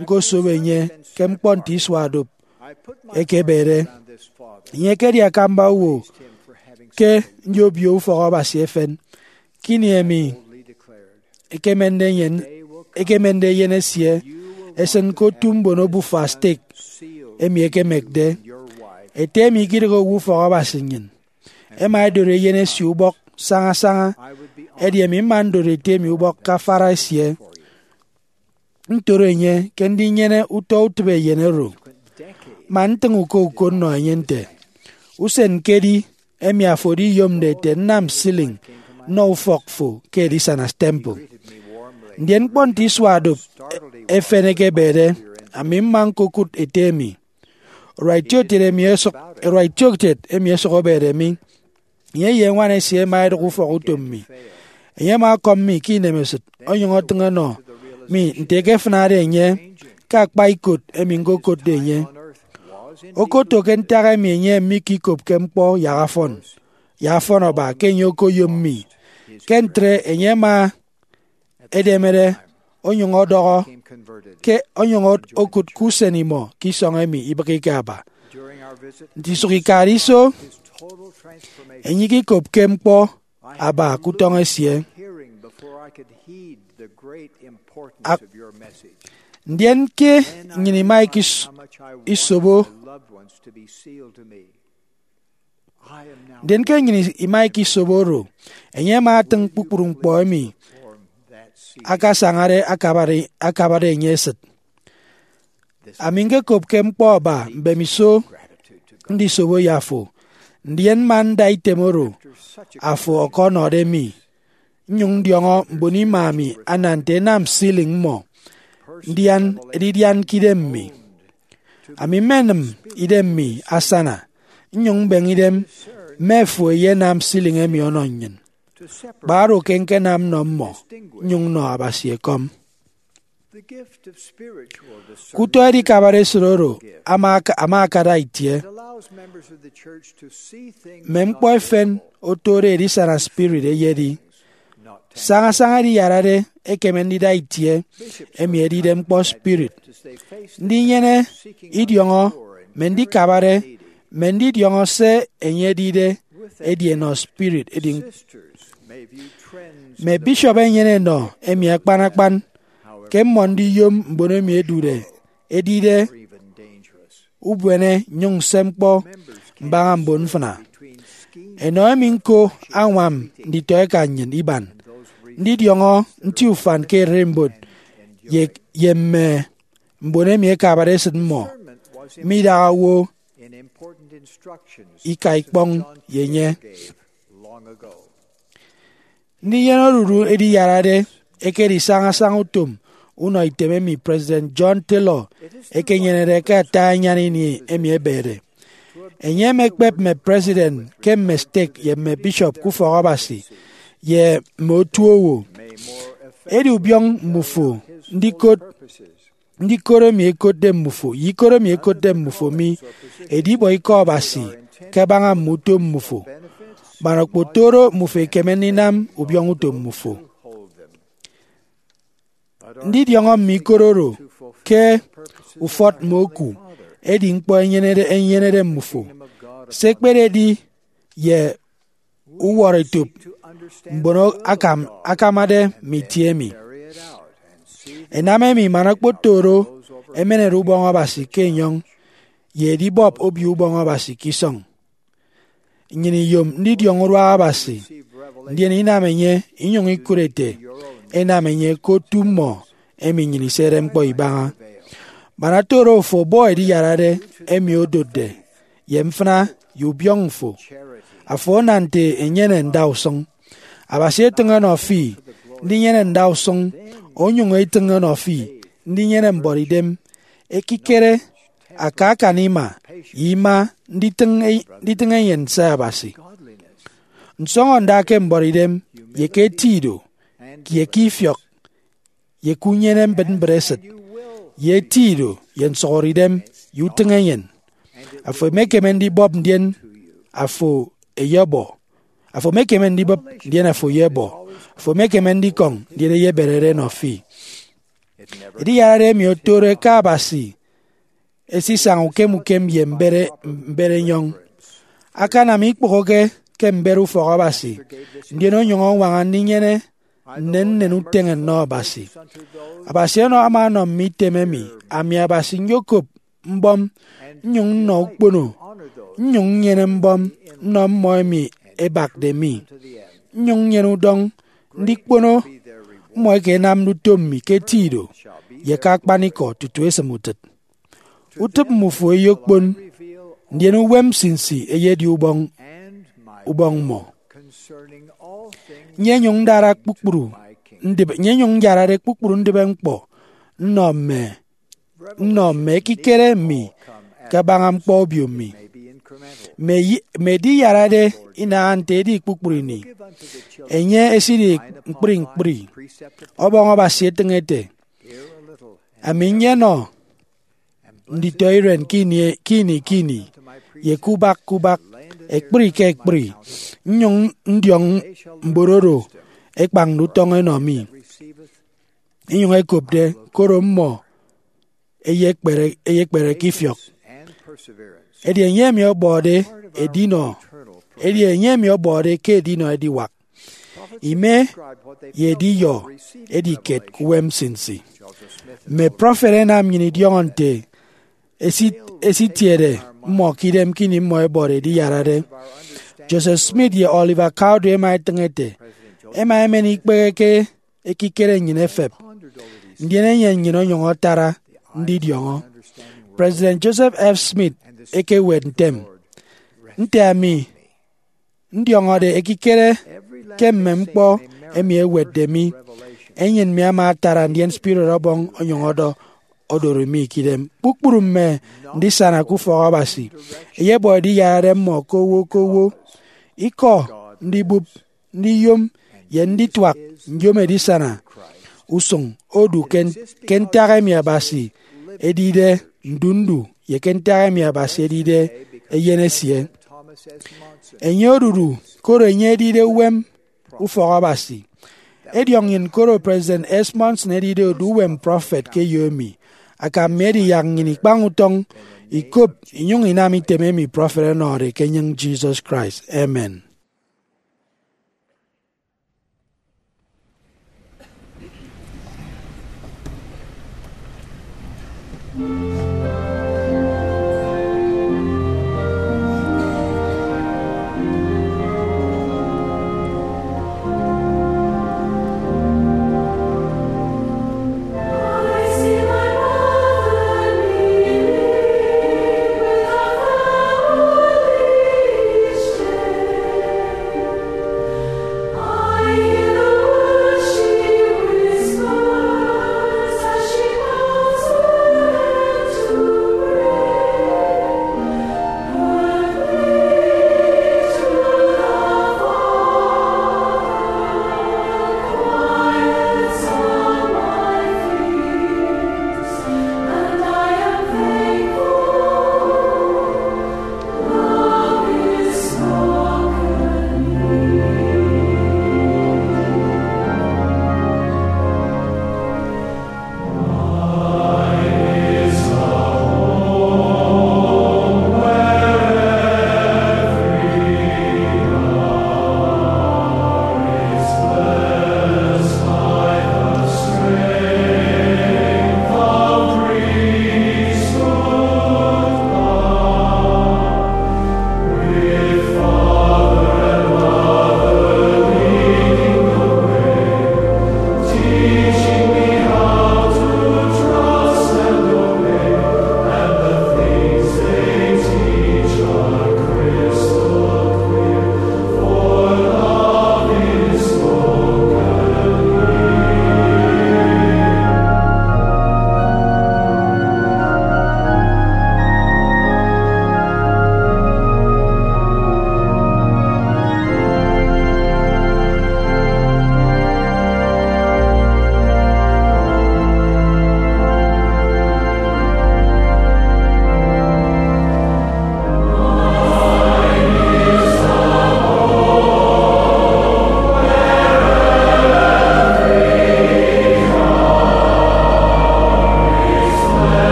ñkosobo enye ke ñkpọ nte isua dup ekebede. Enye ekedi akamba owo ke ndi obio ufọk Abasi efen. Ke ini emi ekemende eyen, ekemende eyen esie esịn ke otu mbon obufa stek emi ekemekde, ete emi ikidịghe owo ufọk Abasi nnyịn, ẹma ẹdori eyen esie ubọk saña saña, edi emi mma ndori ete emi ubọk ke afara esie, ntoro enye ke ndinyene utọ utịp eyen oro, man ntịñ uko uko nnọ enye nte, usen ñkedi emi afo ediyomde ete nnam ceiling nnọ ufọk fo ke edisana temple. Ndien ñkpọ nte isua dup efen ekebede, ami mma ñkokụt ete emi. Urua itiokiet emi ẹsụk, urua itiokiet emi ẹsụk ebede mi. Enye ye ñwan esie ẹma ẹdụk ufọk utom mi. Enye ama ọkọm mi ke inemesịt, onyụñ ọtịñ ọnọ mi nte ekefịnade enye ke akpa ikot emi ñkokotde enye. Okoto ke ntak emi enye mikikopke ñkpọ yak afọn, yak afọn aba ke enye okoyom mi. Ke ntre enye ama edemede, onyụñ ọdọhọ ke onyụñ okụt ke usen imọ ke isọñ emi ibịghike aba. Nte isụk ikade iso, enye ikikopke ñkpọ aba ke utọñ esie. Ak-, ndien ke nnyịn ima ikis-, isobo, ndien ke nnyịn ima ikisobo oro, enye ama atịñ kpukpru ñkpọ emi akasañade akabade, akabade enye esịt. Ami ñkekopke ñkpọ aba mbemiso ndisobo ye afo, ndien mma nda item oro afo ọkọnọde mi, nnyụñ ndiọñọ mbon ima mi ana nte ẹnam ceiling mmọ ndian edidian ke idem mi. Ami mmenịm idem mi asana, nnyụñ mbeñe idem mme fo ẹyenam ceiling emi ọnọ nnyịn. Kpa oro ke ñkenam nnọ mmọ, nnyụñ nnọ Abasi ekọm. Ke utọ edikabade esịt oro ama aka-, ama akada itie, mme ñkpọ efen otode edisana spirit eyedi. Sañasaña ediyarade ekeme ndida itie, emi edide ñkpọ spirit. Ndinyene idiọñọ mme ndikabade mme ndidiọñọ se enye edide edi enọ spirit edi. Mme bishop enyene enọ emi akpan akpan ke mmọ ndiyom mbon emi edude edide ubuene nnyụñ nse ñkpọ mbaña mbon mfịna. Enọ emi ñko añwam nditọeka nnyịn iban ndidiọñọ nti ufan ke ererimbot ye, ye mme mbon emi ẹkabade esịt mmọ midaha owo ika ikpọñ ye enye. Ndinyene odudu ediyarade ekedi sañasaña utom unọ item emi President John Taylor ekenyenede ke ata anyan ini emi ebede. Enye emekpep mme president ke mme stake ye mme bishop ke ufọk Abasi ye mme otu owo. Edi ubiọñ mmufo ndikot ndikot emi ekotde mmufo ye ikot emi ekotde mmufo mi edibọ ikọ Abasi kabaña mme utom mmufo, man okpotoro mmufo ekeme ndinam ubiọñ utom mmufo. Ndidiọñọ mme ikot oro ke ufọt mme oku edi ñkpọ enyenede enyenede mmufo. Se ekpededi ye uwọrọetop mbon akam akamade mme itie emi. Ẹnam emi man okpotoro ẹmenede ubọñ Abasi ke enyọñ ye edibọp Obio Ubọñ Abasi ke isọñ. Nnyịn iyom ndidiọñ uduak Abasi, ndien inam enye inyụñ ikụt ete, enam enye ke otu mmọ emi nnyịn isede ñkpọ ibaña. Man ata oro ofo bọ ediyarade emi odotde ye mfịna ye ubiọñ mfo, afo ana nte enyene ndausụñ. Abasi etịñ ọnọ fi ndinyene ndausụñ, onyụñ etịñ ọnọ fi ndinyene mbuọtidem, ekikere, aka akan ima, ye ima nditịñ e- nditịñ enyịn nse Abasi. Nsọñọ nda ke mbuọtidem, ye ke eti ido, ye ke ifiọk, ye ke unyene mbịtmbịt esịt, ye eti ido ye nsọhọre idem ye utịñ enyịn. Afo emekeme ndibọp ndien afo eyebọ. Afo emekeme ndibọp ndien afo eyebọ. Afo emekeme ndikọñ ndien eyeberere enọ fi. Ediyarade emi otode ke Abasi esisaña ukem ukem ye mbere mbere enyọñ. Akanam ikpụhọke ke mbere ufọk Abasi, ndien onyụñ añwaña ndinyene nnennen uteñe nnọ Abasi. Abasi ọnọ ama ọnọ mme item emi, ami Abasi nyokop mbọm, nnyụñ nnọ ukpono, nnyụñ nnyene mbọm nnọ mmọ emi ẹbakde mi, nnyụñ nnyene udọñ ndikpono mmọ eke ẹnamde utom mi ke eti ido ye ke akpanikọ tutu esịm utịt. Utịp mmufo eyokpon, ndien uwem nsinsi eyedi ubọñ ubọñ mmọ. Nyenyụñ ndara kpukpru ndịbe nyenyụñ nyarade kpukpru ndịbe ñkpọ nnọ mme nnọ mme ekikere mi kabaña ñkpọ obio mi. Mme yi- mme ediyarade inaha nte edi kpukpru ini, enye esidi ñkpri ñkpri ọbọñ Abasi etịñ ete, ami nyenọ nditọ iren ke ini ke ini ke ini, ye ke ubak ke ubak, ekpri ke ekpri, nnyụñ ndiọñ mbon oro ẹkpañde utọñ ẹnọ mi, inyụñ ẹkopde, koro mmọ eyekpere eyekpere ke ifiọk. Edi enye emi ọbọde edinọ edi enye emi ọbọde ke edinọ ediwak ime ye ediyọ edi kiet ke uwem nsinsi. Mme prọfet ẹnam nnyịn idiọñọ nte esit- esitiede mmọ ke idem ke ini mmọ ẹbọde ediyarade. Joseph Smith ye Oliver Cowdery ẹma ẹtịñ ete, ẹma ẹmen ikpehe ke ekikere nnyịn efep, ndien eyen nnyịn onyụñ atara ndidiọñọ. President Joseph F. Smith ekewet ntem, nte ami ndiọñọde ekikere ke mme ñkpọ emi ẹwetde mi, enyịn mi ama atara, ndien spirit ọbọñ onyụñ ọdọ odori mi ke idem. Kpukpru mme ndisana ke ufọk Abasi ẹyebọ ediyarade mmọ ke owo ke owo, ikọ, ndibụp, ndiyom, ye ndituak nyom edisana usụñ odu ke, ke ntak emi Abasi edide ndu ndu ye ke ntak emi Abasi edide Eyen esie. Enye odudu koro enye edide uwem ufọk Abasi. Ediọk nnyịn koro President S. Monson edide odu uwem prọfet ke eyo emi, Akam mi edi yak nnyịn ikpañ utọñ, ikop, inyụñ inam item emi prọfet ọnọde ke enyịñ Jesus Christ. Amen.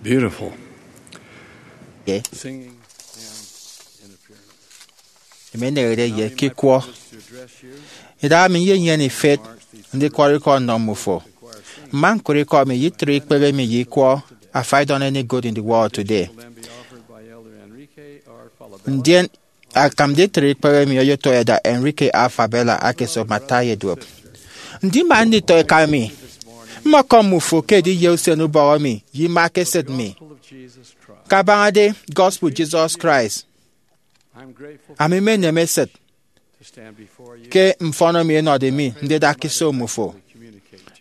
Beautiful. Okay. Singing and interference. Emi enehede ye ke ikwọ. Idaha mi nyenyene ifet ndikwọrọ ikọ nnọ mmufo. Mma ñkụre ikọ mi ye itre ikpehe mi ye ikwọ Afaidon Any Good in the World Today. Ndien akam nditre ikpehe mi oyotọ ẹda Enrique A. Fabela ake esop mme ata ẹyeduop. Ndima nditọ eka mi, mmọkọm mmufo ke ediye usen ubọhọ mi ye ima ke esịt mi. Kabañade gospel Jesus Christ, ami mmenem esịt ke mfọn emi ẹnọde mi ndida ke iso mmufo.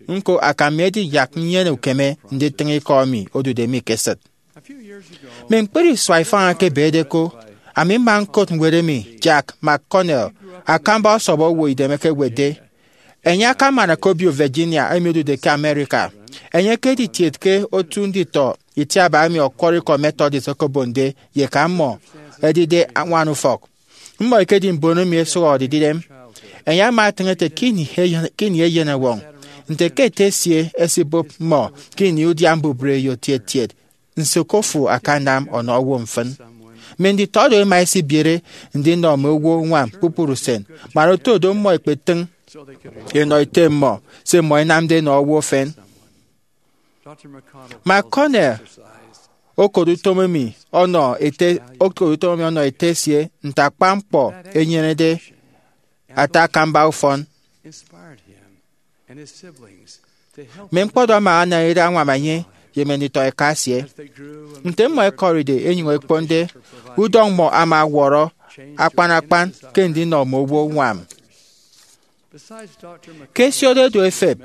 Ñko, akam mi edi yak nnyene ukeme nditịñ ikọ emi odude mi ke esịt. Mme ñkpri isua ifañ eke ebede ko, ami mma ñkot ñwed emi Jack McConnell, akamba ọsọp owo idem eke ewetde. Enye akaman ke obio Virginia emi odude ke America. Enye ke editiet ke otu nditọ itiaba emi ọkwọrọ ikọ Methodist okobonde ye eka mmọ ẹdide añwan ufọk. Mmọ ẹkedi mbon emi ẹsụhọde idem. Enye ama etịñ ete ke ini eyen-, ke ini eyenọwọñ, nte ke ete esie esibụp mmọ ke ini udia mbubreyo tietiet, nso ke ofo akanam ọnọ owo mfịn? Mme nditọ do ẹma ẹsibiere ndinọ mme owo uñwam kpukpru usen, man oto do mmọ ẹkpetịñ ẹnọ ete mmọ se mmọ ẹnamde ẹnọ owo efen. McConnell okot utom emi ọnọ ete, okot utom emi ọnọ ete esie nte akpan ñkpọ enyenede ata akamba ufọn. Mme ñkpọdọñ ama anam ere añwam enye ye mme nditọ eka esie. Nte mmọ ẹkọride ẹnyụñ ẹkponde, udọñ mmọ ama ọwọrọ akpan akpan ke ndinọ mme owo uñwam. Ke ẹsiode do ẹfep,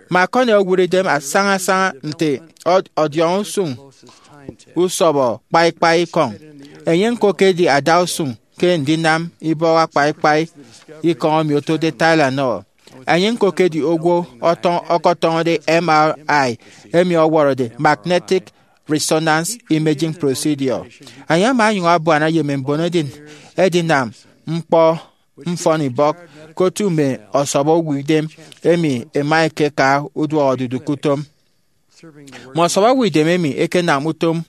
McConnell owụt idem asañasaña nte ọ-, ọdiọñ usụñ usọbọ kpaikpai ikọñ. Enye ñko ekedi adausụñ ke ndinam ibọhọ akpaikpai ikọñ emi otode Tylenol. Enye ñko ekedi owo ọtọñ-, ọkọtọñọde M R I emi ọwọrọde magnetic resonance imaging procedure. Enye ama onyụñ abuana ye mme mbon edin-, edinam ñkpọ mfọnibọk ke otu mme ọsọbọ uwa idem emi ẹma ẹkeka uduọk odudu ke utom. Mme ọsọbọ uwa idem emi ẹkenam utom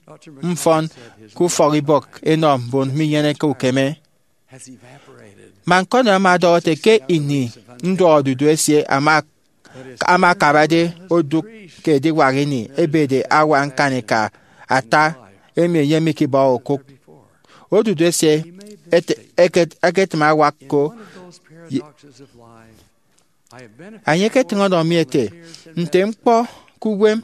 mfọn ke ufọkibọk ẹnọ mbon minyeneke ukeme. McConnell ama ọdọhọ ete ke ini nduọk odudu esie ama, ama akabade odụk ke ediwak ini ebede awa ñkanika ata emi enye mikibọhọ okụk, odudu esie ete-, eket-, eketịm awak ko. Ye-, enye eketịñ ọnọ mi ete, nte ñkpọ ke uwem,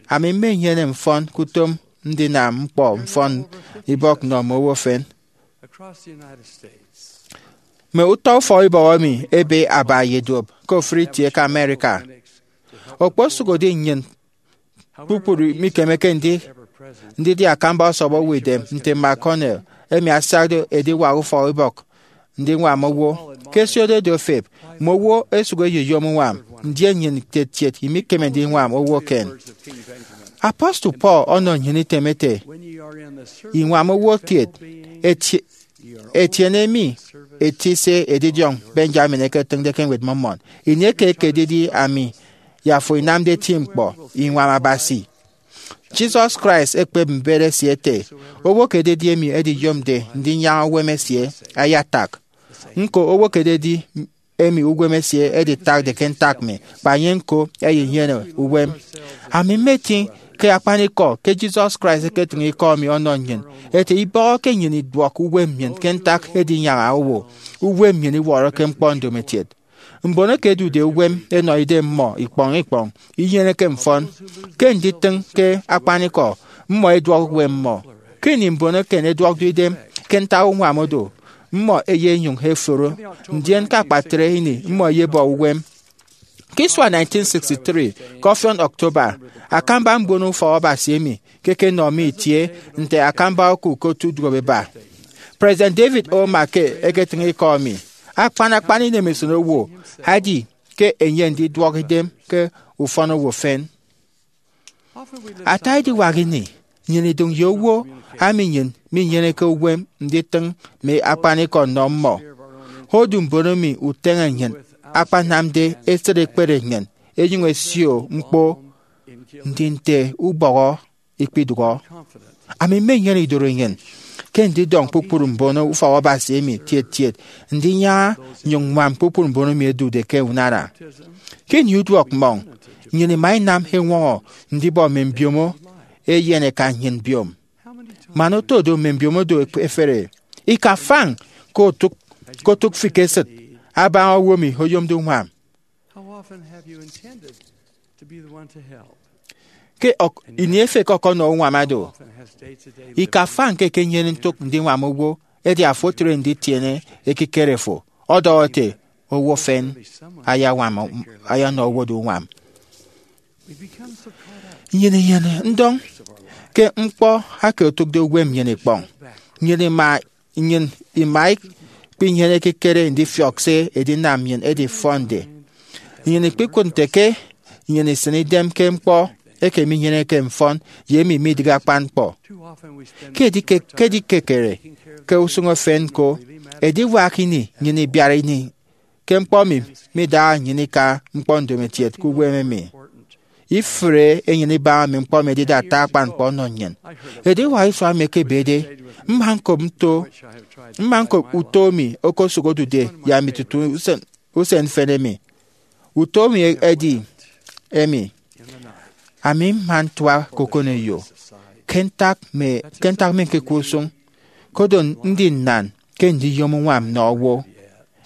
ami mmenyene mfọn ke utom ndinam ñkpọ mfọnibọk nnọ mme owo efen. Mme utọ ufọkibọk emi ebe aba ye duop ke ofụri itie ke America. Okposụkedi nnyịn kpukpru mikemeke ndi-, ndidi akamba ọsọbọ uwa idem nte McConnell, emi asiakde ediwak ufọkibọk ndiñwam owo. Ke ẹsiode do ẹfep, mme owo ẹsụk ẹyeyom uñwam, ndien nnyịn itietiet imikeme ndiñwam owo eken. Apostle Paul ọnọ nnyịn item ete, iñwam owo kiet, eti-, etiene mi eti se edidiọñ Benjamin eketịñde ke Ñwed Mormon, ini eke ekededi ami ye afo inamde eti ñkpọ, iñwam Abasi. Jesus Christ ekpep mbet esie ete, owo ke ededi emi ediyomde ndinyaña uwem esie, ayatak. Ñko, owo ke ededi emi uwem esie editakde ke ntak mi, kpa enye ñko eyenyene uwem. Ami mmetiñ ke akpanikọ ke Jesus Christ eketịñ ikọ emi ọnọ nnyịn, ete ibọhọke nnyịn iduọk uwem nnyịn ke ntak edinyaña owo. Uwem nnyịn iwọrọke ñkpọ ndomokiet. Mbon eke ẹdude uwem ẹnọ idem mmọ ikpọñ ikpọñ inyeneke mfọn. Ke nditịñ ke akpanikọ, mmọ ẹduọk uwem mmọ. Ke ini mbon eken ẹduọkde idem ke ntak uñwam odu, mmọ ẹyenyụñ ẹforo, ndien ke akpatre ini mmọ ẹyebọ uwem. Ke isua nineteen sixty-three, ke ọfiọn October, akamba mbon ufọk Abasi emi ke ẹkenọ mi itie nte akamba oku ke otu duop ẹba. President David O. McKay eketịñ ikọ emi, akpan akpan inemesịt owo edi ke enye ndiduọk idem ke ufọn owo efen. Ata ediwak ini, nnyịn idụñ ye owo ami nnyịn minyeneke uwem nditịñ mme akpanikọ nnọ mmọ. Odu mbon emi uteñe nnyịn akpanamde esịt ekpere nnyịn, enyụñ ẹsio ñkpo ndi nte ubọhọ ikpidụhọ. Ami mmenyene idorenyin ke ndidọñ kpukpru mbon ufọk Abasi emi tiet tiet ndinyaña nnyụñ ññwam kpukpru mbon emi ẹdude ke unana. Ke ini uduọk mmọñ, nnyịn ima inam eñwọñọ ndibọ mme mbiomo eyen ẹkan nnyịn mbiom. Man oto do mme mbiomo do ẹfere, ika fañ ke otụk, ke otụk fi ke esịt abaña owo emi oyomde uñwam. Ke ọk-, ini efek ọkọnọ uñwam ado, ika fañ ke ekenyene ntụk ndiñwam owo, edi afo otre nditiene ekikere fo, ọdọhọ ete, owo efen ayañwam, ayanọ owo do uñwam. Nnyịn inyene ndọñ ke ñkpọ eke otụkde uwem nnyịn ikpọñ. Nnyịn ima, nnyịn ima ikpinyene ekikere ndifiọk se edinam nnyịn edifọnde. Nnyịn ikpikụt nte ke nnyịn isịn idem ke ñkpọ eke minyeneke mfọn ye emi midịghe akpan ñkpọ. Ke edikekere ke usụñ efen ñko, ediwak ini nnyịn ibiara ini ke ñkpọ emi midaha nnyịn ika ñkpọ ndomokiet ke uwem emi. Ifụre enyịn ibaña mme ñkpọ emi ẹdide ata akpan ñkpọ ọnọ nnyịn. Ediwak isua emi ekebede, mma ñkop nto, mma ñkop uto emi okosụk odude ye ami tutu usen, usen mfịn emi. Uto emi edi emi: Ami mma ntua ke okoneyo ke ntak mme, ke ntak mme ñkekwe usụñ, kodo ndi nnan ke ndiyom uñwam nnọ owo.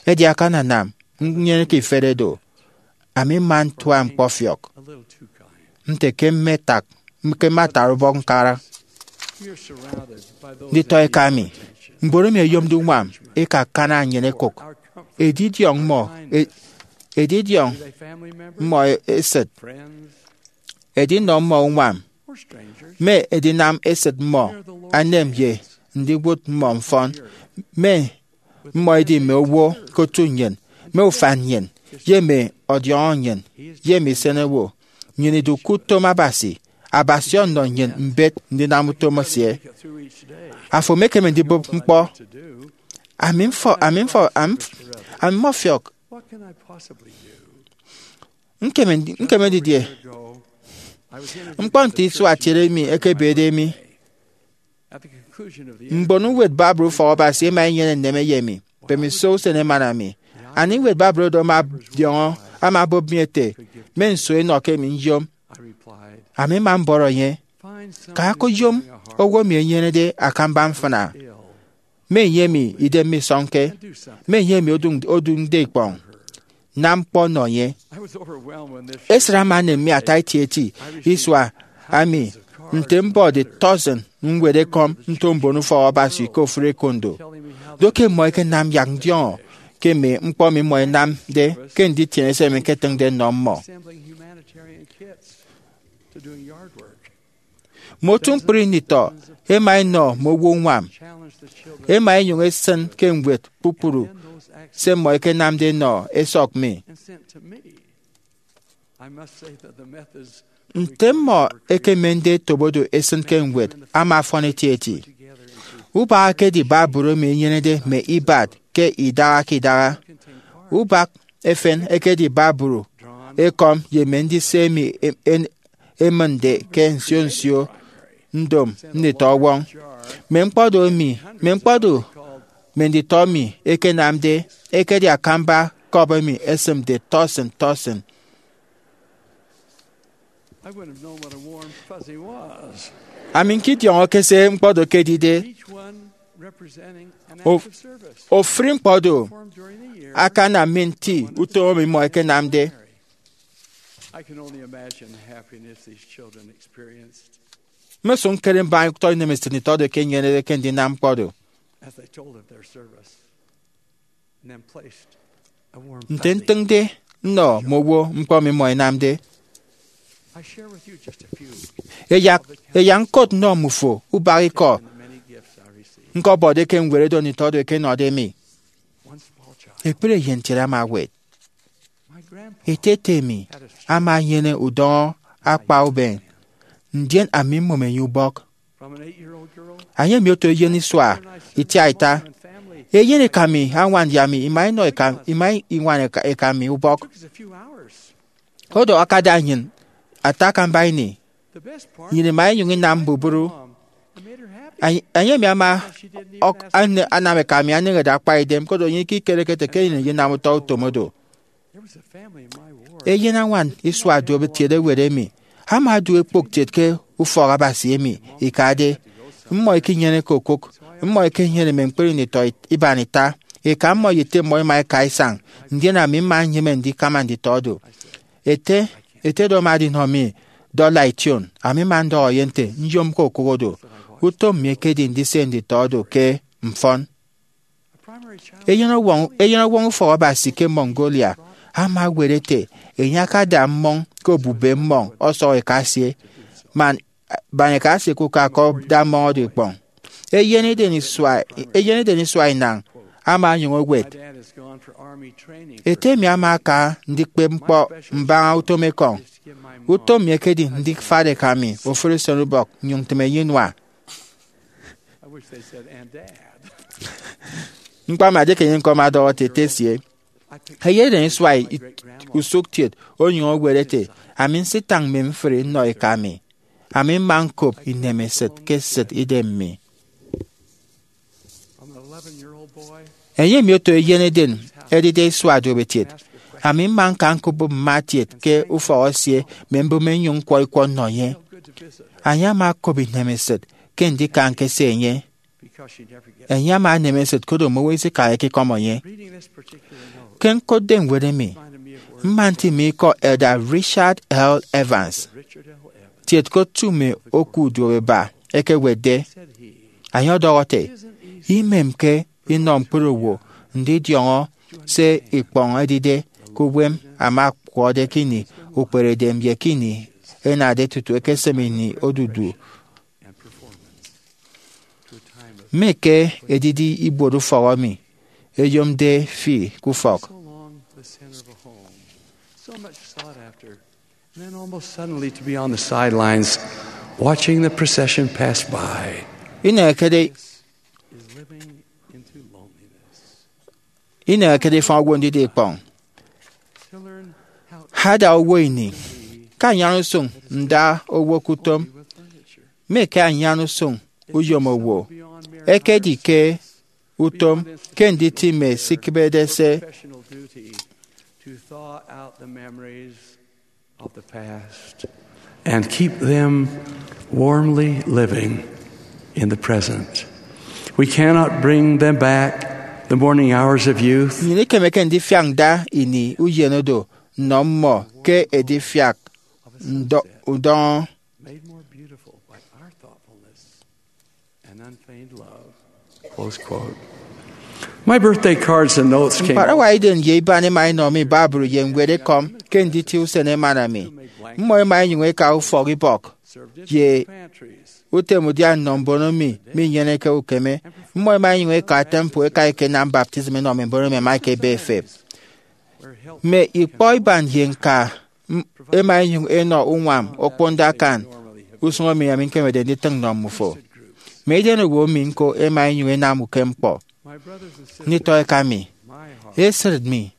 Edi akananam nnyeneke ifere do. Ami mma ntua ñkpọfiọk nte ke mme tak, ke mme atara ubọk ñkara nditọeka mi. Mbon emi ẹyomde uñwam ika akana nnyịn ẹkụk edidiọñ mmọ, e-, edidiọñ mmọ esịt, edinọ mmọ uñwam, mme edinam esịt mmọ, enem ye ndiwụt mmọ mfọn, mme mmọ edi mme owo ke otu nnyịn, mme ufan nnyịn, ye mme ọdiọñọ nnyịn, ye mme isenowo. Nnyịn idu ke utom Abasi. Abasi ọnọ nnyịn mbet ndinam utom esie. Afo emekeme ndibụp ñkpọ. Ami mfọ, ami mfọ, am-, ami mmọfiọk. Ñkeme ndi-, ñkeme didie? Ñkpọ nte isua kiet emi ekebede mi. Mbon ñwed Bible Ufọk Abasi ẹma ẹnyene nneme ye mi. Mbemiso usen emana mi, aniñwed Bible oro ama ọdiọñọ, ama obụp mi ete, mme nso enọ ke emi nyom? Ami mma mbọrọ enye, ka koyom owo emi enyenede akamba mfịna, mme enye emi idem misọñke, mme enye emi oduñ-, oduñde ikpọñ. Nam ñkpọ nọ enye. Esịt ama enem mi ata etieti isua emi nte mbọde tọsịn ñwed ekọm nto mbon Ufọk Abasi ke ofụri ekondo. Do ke mmọ ẹkenam yak ndiọñọ ke mme ñkpọ emi mmọ ẹnamde ke nditiene se ẹmi ẹketịñde nnọ mmọ. Mme otu ñkpri nditọ ẹma ẹnọ mme owo uñwam, ẹma ẹnyụñ ẹsịn ke ñwed kpukpru se mmọ ẹkenamde ẹnọ ẹsọk mi. Nte mmọ ẹkemende ẹtobo do ẹsịn ke ñwed ama afọn etieti. Ubak ekedi Bible emi enyenede mme ibat ke idaha ke idaha. Ubak efen ekedi Bible ekọm ye mme ndise emi e-, en-, emịñde ke nsio nsio ndom nditọ ọwọñ. Mme ñkpọ do emi, mme ñkpọ do mme nditọ mi ẹkenamde ekedi akamba cup emi esịmde tọsịn tọsịn. Ami ñkidiọñọke se ñkpọ do ekedide. Ofụri ñkpọ do akanam mi nti utom emi mmọ ẹkenamde. Mmesụk ñkere mbaña utọ inemesịt nditọ do ke ẹnyenede ke ndinam ñkpọ do. Nte ntịñde nnọ mme owo ñkpọ emi mmọ ẹnamde, ẹyak, ẹyak ñkot nnọ mmufo ubak ikọ ñkọbọde ke ñwed edo nditọ do ẹkenọde mi. Ekpri eyen kiet ama ewet. Ete ete mi ama enyene udọñọ akpa uben, ndien ami mmom enye ubọk. Enye emi oto eyen isua itiaita. Eyen eka mi añwan ye ami ima inọ eka, ima iñwan eka, eka mi ubọk. Odo akada nnyịn ata akamba ini. Nnyịn ima inyụñ inam mbubru. Enye, enye emi ama ọk-, ane-, anam eka mi aneñede akpa idem, koro enye ikikereke ete ke nnyịn iyinam utọ utom odo. Eyen añwan isua duop etiede ewet emi ama odu ekpok kiet ke ufọk Abasi emi ikade. Mmọ ikinyeneke okụk, mmọ ikinyene mme ñkpri nditọ it-, iban ita. Eka mmọ ye ete mmọ ima ika isañ, ndien ami mma nyịme ndikama nditọ do. Ete, ete do ama odinọ mi dọla ition. Ami mma ndọhọ ye nte nyomke okụk odo. Utom mi ekedi ndise nditọ do ke mfọn. Eyenọwọñ, eyenọwọñ ufọk Abasi ke Mongolia ama ewet ete enye akada mmọñ ke obube mmọñ ọsọk eka esie, man baña eka esie ke uka ke ada mmọñ odo ikpọñ. Eyen iden isua, eyen iden isua inañ ama onyụñ owet. Ete mi ama aka ndikpep ñkpọ mbaña utom ekọñ. Utom mi ekedi ndifat eka mi ofụri usenubọk nnyụñ ntịm enye inua. Ñkpa mi adieke enye ñko ama ọdọhọ ete ete esie. Eyedeñ isua usụktiet onyụñ owet ete, ami nsitañ mme mfri nnọ eka mi. Ami mma ñkop inemesịt ke esịt idem mi. Enye emi oto eyen eden edide isua duopetiet. Ami mma ñka ñkobụp mma etiet ke ufọk esie mme mbụme nnyụñ ñkwọ ikwọ nnọ enye. Enye ama okop inemesịt ke ndika ñkese enye. Enye ama enem esịt koro mme owo isikaha ikikọm enye. Ke ñkotde ñwed emi, mma ntịme ikọ Elder Richard L. Evans, Tietke Otu Mme Oku Uduoeba, ekewetde. Enye ọdọhọ ete, imemke inọ ñkpere owo ndidiọñọ se ikpọñ edide ke uwem ama ọkwọrọde ke ini ukperedem ye ke ini enade tutu ekesem ini odudu. Mme ke edidi ibuot ufọk emi eyomde fi ke ufọk. Then almost suddenly to be on the sidelines watching the procession pass by. Inekede is living into loneliness. Inekede ifọñ owo ndida ikpọñ. To learn how Ada owo ini ke anyan usụñ nda owo ke utom. With furniture. Mme ke anyan usụñ uyom owo ekedi ke utom ke nditịme sikịbede se. Professional duty to thaw out the memories of the past and keep them warmly living in the present. We cannot bring them back the morning hours of youth. Nnyịn ikemeke ndifiak nda ini uyen oro nnọ mmọ ke edifiak ndọ- udọñọ. Made more beautiful by our thoughtfulness and unfeigned love. Close quote. My birthday cards and notes came. Ñkparawa iden ye iban ẹma ẹnọ mi Bible ye ñwed ekọm ke nditie usen emana mi. Mmọ ẹma ẹnyụñ ẹka ufọk ibọk ye utem udia nnọ mbon emi minyeneke ukeme. Mmọ ẹma ẹnyụñ ẹka temple ẹka ẹkenam baptism ẹnọ mme mbon emi ẹma ẹkebe ẹfep. Mme ikpọ iban ye ñka m- ẹma ẹnyụñ ẹnọ uñwam okponde akan usụñ emi ami ñkemede nditịñ nnọ mmufo. Mme idenowo mi ñko ẹma ẹnyụñ ẹnam ukem ñkpọ. Nditọeka mi, esịt mi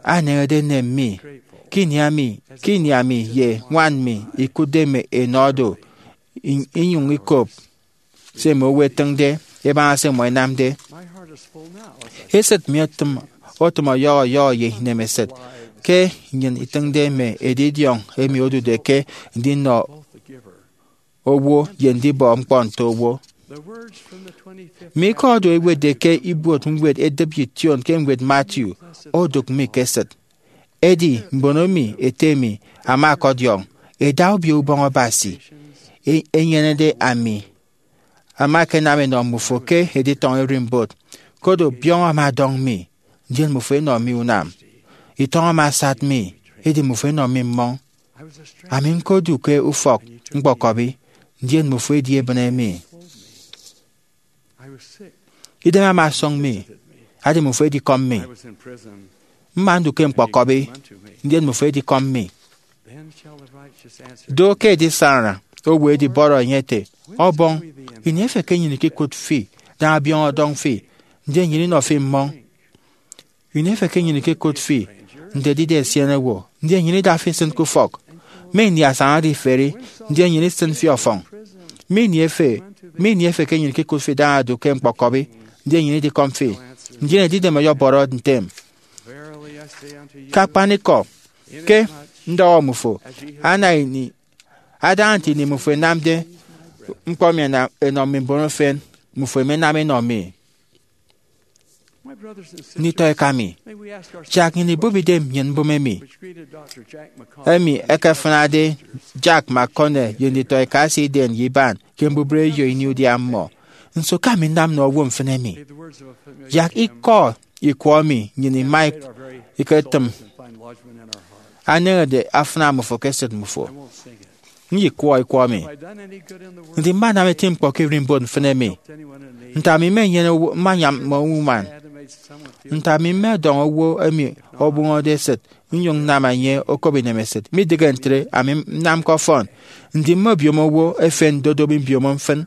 aneñede enem mi ke ini ami ke ini ami ye ñwan mi ikụtde mme enọ do, in- inyụñ ikop se mme owo ẹtịñde ẹbaña se mmọ ẹnamde. Esịt mi otịm otịm ọyọhọ ọyọhọ ye inemesịt ke nnyịn itịñde mme edidiọñ emi odude ke ndinọ owo ye ndibọ ñkpọ nto owo. Mme ikọ oro ẹwetde ke ibuot ñwed edịp ye ition ke ñwed Matthew odụk mi ke esịt. Edi mbon emi ete mi ama ọkọdiọñ ẹda Obio Ubọñ Abasi e- enyenede ami ama ẹkenam ẹnọ mmufo ke editọñọ ererimbot, koro biọñ ama ọdọñ mi, ndien mmufo ẹnọ mi unam. Itọñ ama asat mi, edi mmufo ẹnọ mi mmọñ. Ami ñkodu ke ufọk ñkpọkọbi, ndien mmufo ẹdi ẹbịne mi. Idem ama ọsọñ mi, edi mmufo ẹdikọm mi. Mma ndu ke ñkpọkọbi, ndien mmufo ẹdikọm mi. Do ke edisana owo edibọrọ enye ete, Ọbọñ, ini efe ke nnyịn ikikụt fi, da abiọñ ọdọñ fi, ndien nnyịn inọ fi mmọñ? Ini efe ke nnyịn ikikụt fi nte edide esienewo, ndien nnyịn ida fi isịn ke ufọk? Mme ini asañade iferi, ndien nnyịn isịn fi ọfọñ? Mme ini efe, mme ini efe ke nnyịn ikikụt fi da do ke ñkpọkọbi, ndien nnyịn idikọm fi? Ndien edidem ọyọbọrọ ntem. Ke akpanikọ, ke ndọhọ mmufo, ana ini, adaña nte ini mmufo ẹnamde ñkpọ mi ẹna- ẹnọ mme mbon efen, mmufo ẹmenam ẹnọ mi. Nditọeka mi, yak nnyịn ibụp idem nnyịn mbụme emi, emi ẹkefịnade Jack McConnell ye nditọeka esie idem ye iban ke mbubreyo ini udia mmọ. Nso ke ami nnam nnọ owo mfịn emi? Yak ikọ ikwọ emi nnyịn ima iketịm aneñede afịna mmufo ke esịt mmufo. Nyikwọ ikwọ mi. Ndi mmanam eti ñkpọ ke ererimbot mfịn emi? Nte ami mmenyene owo, mmanyam mme uñwam? Nte ami mmedọñ owo emi obụñọde esịt nnyụñ nnam enye okop inemesịt? Midịghe ntre, ami nnamke ọfọn. Ndi mme obiomo owo efen ndodobi mbiomo mfịn?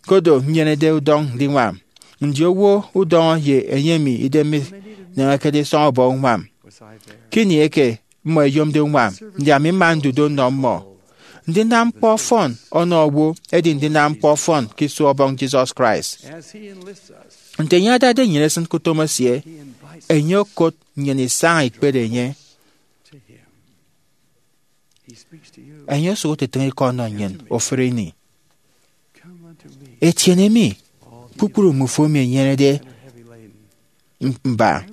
Koro nnyenede udọñ ndiñwam. Ndi owo udọñọ ye enye emi idem mineñekede isọñ ọbọ uñwam? Ke ini eke mmọ ẹyomde uñwam, ndi ami mma ndudo nnọ mmọ? Ndinam ñkpọ ọfọn ọnọ owo edi ndinam ñkpọ ọfọn ke iso Ọbọñ Jesus Christ. Nte enye adade nnyịn esịn ke utom esie, enye okot nnyịn isaña ikpere enye. Enye osụk otịtịñ ikọ ọnọ nnyịn ofụri ini. Etiene mi, kpukpru mmufo emi ẹnyenede mba,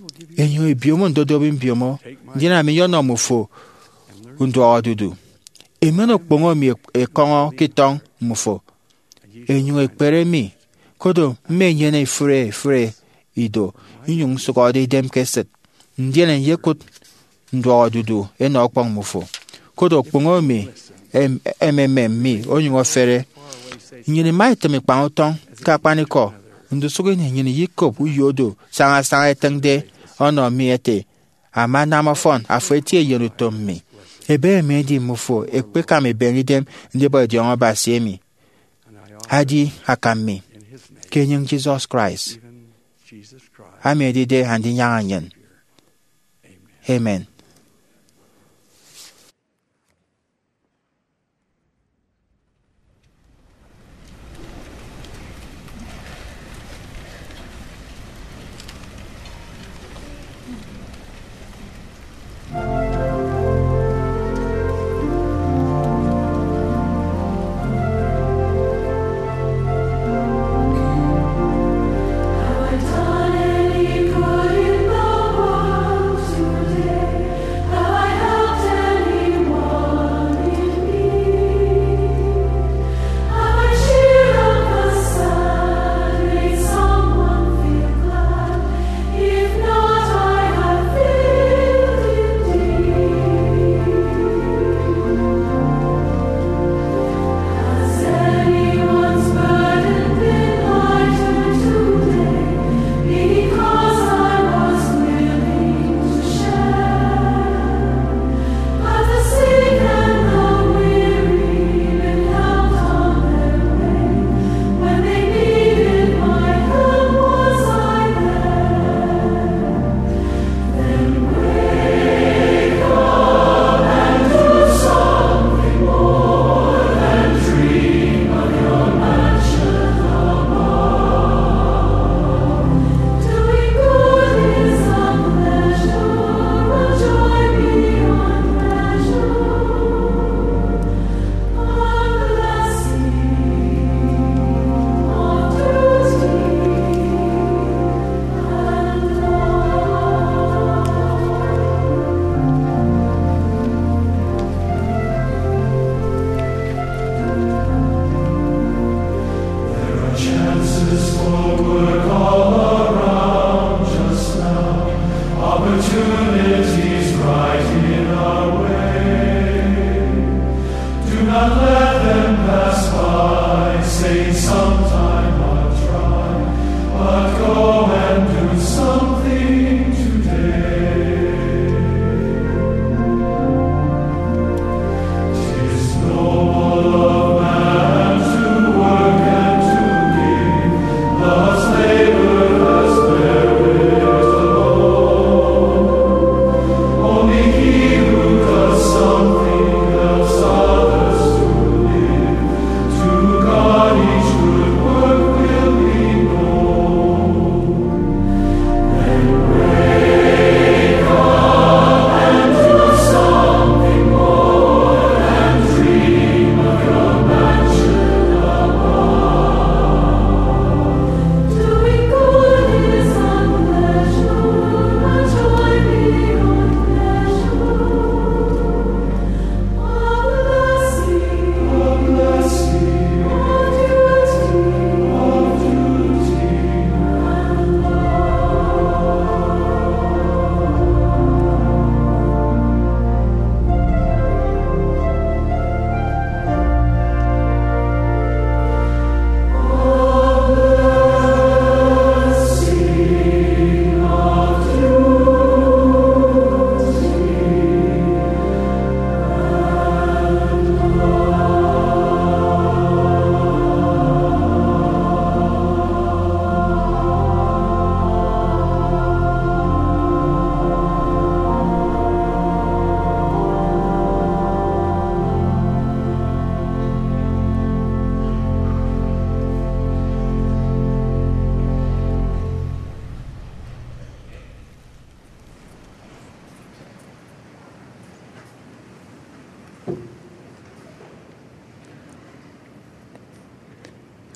enyụñ ebiomo ndodobi mbiomo, ndien ami nyọnọ mmufo nduọk odudu. Emen okpoño mi ekọñọ ke itọñ mmufo, enyụñ ekpere mi, koro mmenyene ifụre ifụre ido, inyụñ nsụhọde idem ke esịt, ndien nyekụt nduọk odudu enọ ọkpọñ mmufo. Koro okpoño mi em-, ememem mi onyụñ ofere. Nnyịn ima itịm ikpañ utọñ ke akpanikọ, ndusụk ini nnyịn iyikop uyo odu sañasaña etịñde ọnọ mi ete, "Ama anam ọfọn, afo eti eyen utom mi." Ebe emi edi mmufo ekpekam ebeñe idem ndibọ idiọñọ Abasi emi edi akam mi, ke enyịñ Jesus Christ, ami edide Andinyaña nnyịn. Amen. There are chances for work all around just now. Opportunities right in our way. Do not let them pass by. Say, "Sometime I'll try," but go and do something today. 'Tis noble of man to work and to give, but laborers perish alone. Only he who does something helps others to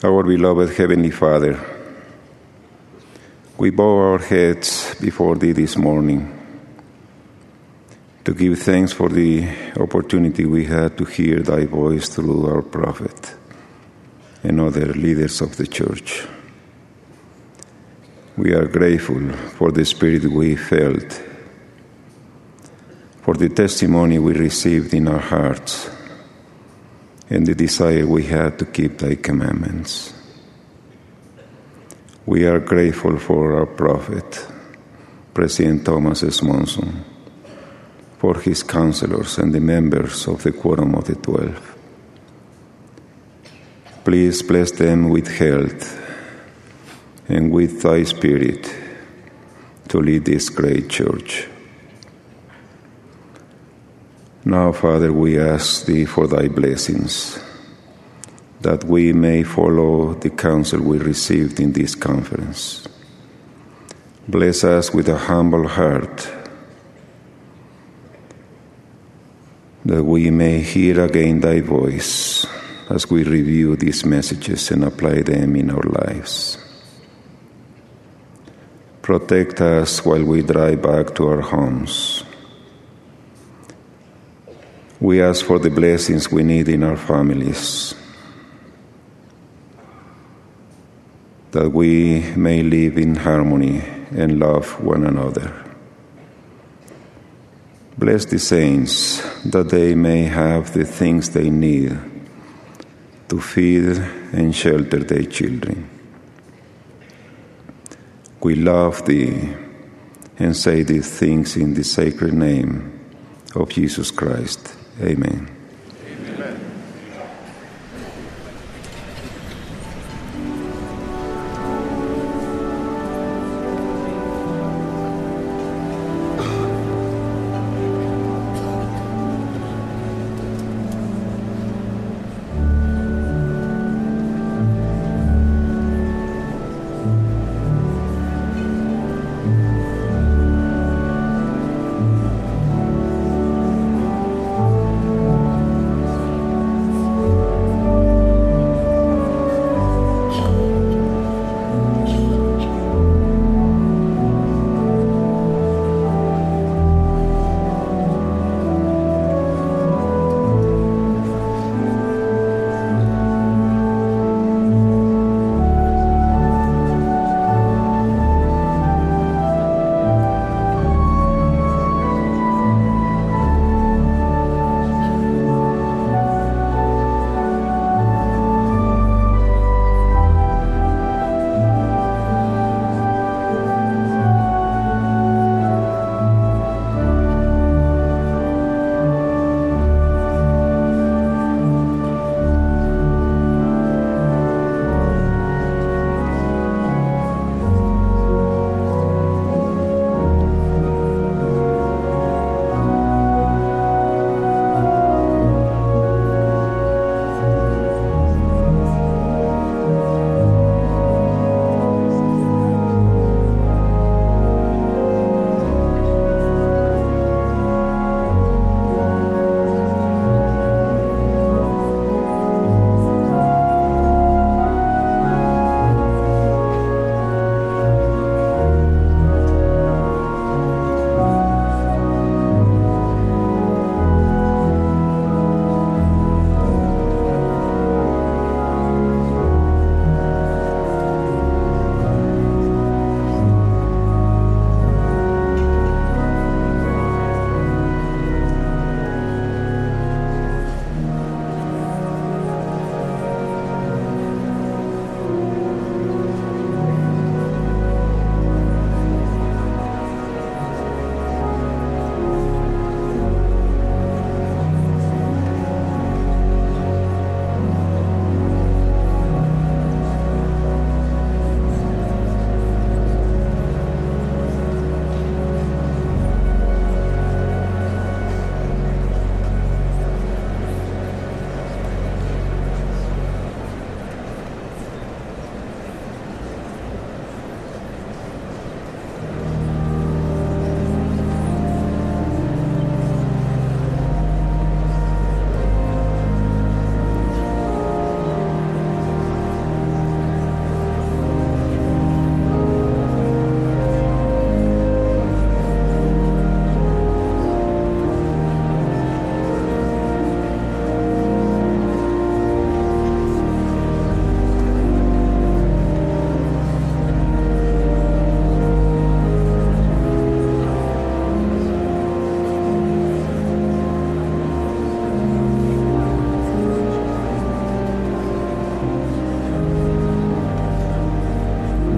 Our beloved Heavenly Father, we bow our heads before Thee this morning to give thanks for the opportunity we had to hear Thy voice through our prophet and other leaders of the Church. We are grateful for the Spirit we felt, for the testimony we received in our hearts, and the desire we had to keep Thy commandments. We are grateful for our prophet, President Thomas S. Monson, for his counselors and the members of the Quorum of the Twelve. Please bless them with health and with Thy Spirit to lead this great Church. Now, Father, we ask Thee for Thy blessings, that we may follow the counsel we received in this conference. Bless us with a humble heart, that we may hear again Thy voice as we review these messages and apply them in our lives. Protect us while we drive back to our homes. We ask for the blessings we need in our families, that we may live in harmony and love one another. Bless the saints, that they may have the things they need to feed and shelter their children. We love Thee and say these things in the sacred name of Jesus Christ. Amen.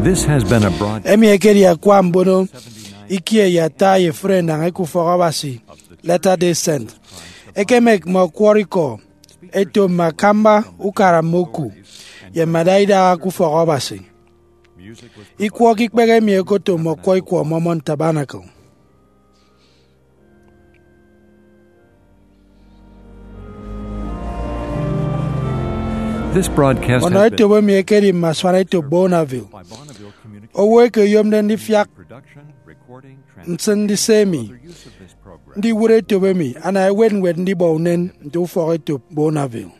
This has been a broad Emi ekedi akwa mbono ikie ye ata ye efuri enañ eke ufọk Abasi, Latter-day Saint. Ekemek mme ọkwọrọ ikọ eto mme akamba ukara mme oku ye mme adaidaha ke ufọk Abasi. Ikwọ ke ikpehe emi ekoto mme ọkwọ ikwọ Mormon Tabernacle. This broadcast Ọnọ has been etop emi ekedi mme asuan etop Bonneville. Owo eke oyomde ndifiak production, recording, ntịn ndise emi, other use of this program. Ndiwụt etop emi ana ewet ñwed ndibọ unen nte ufọk etop Bonneville.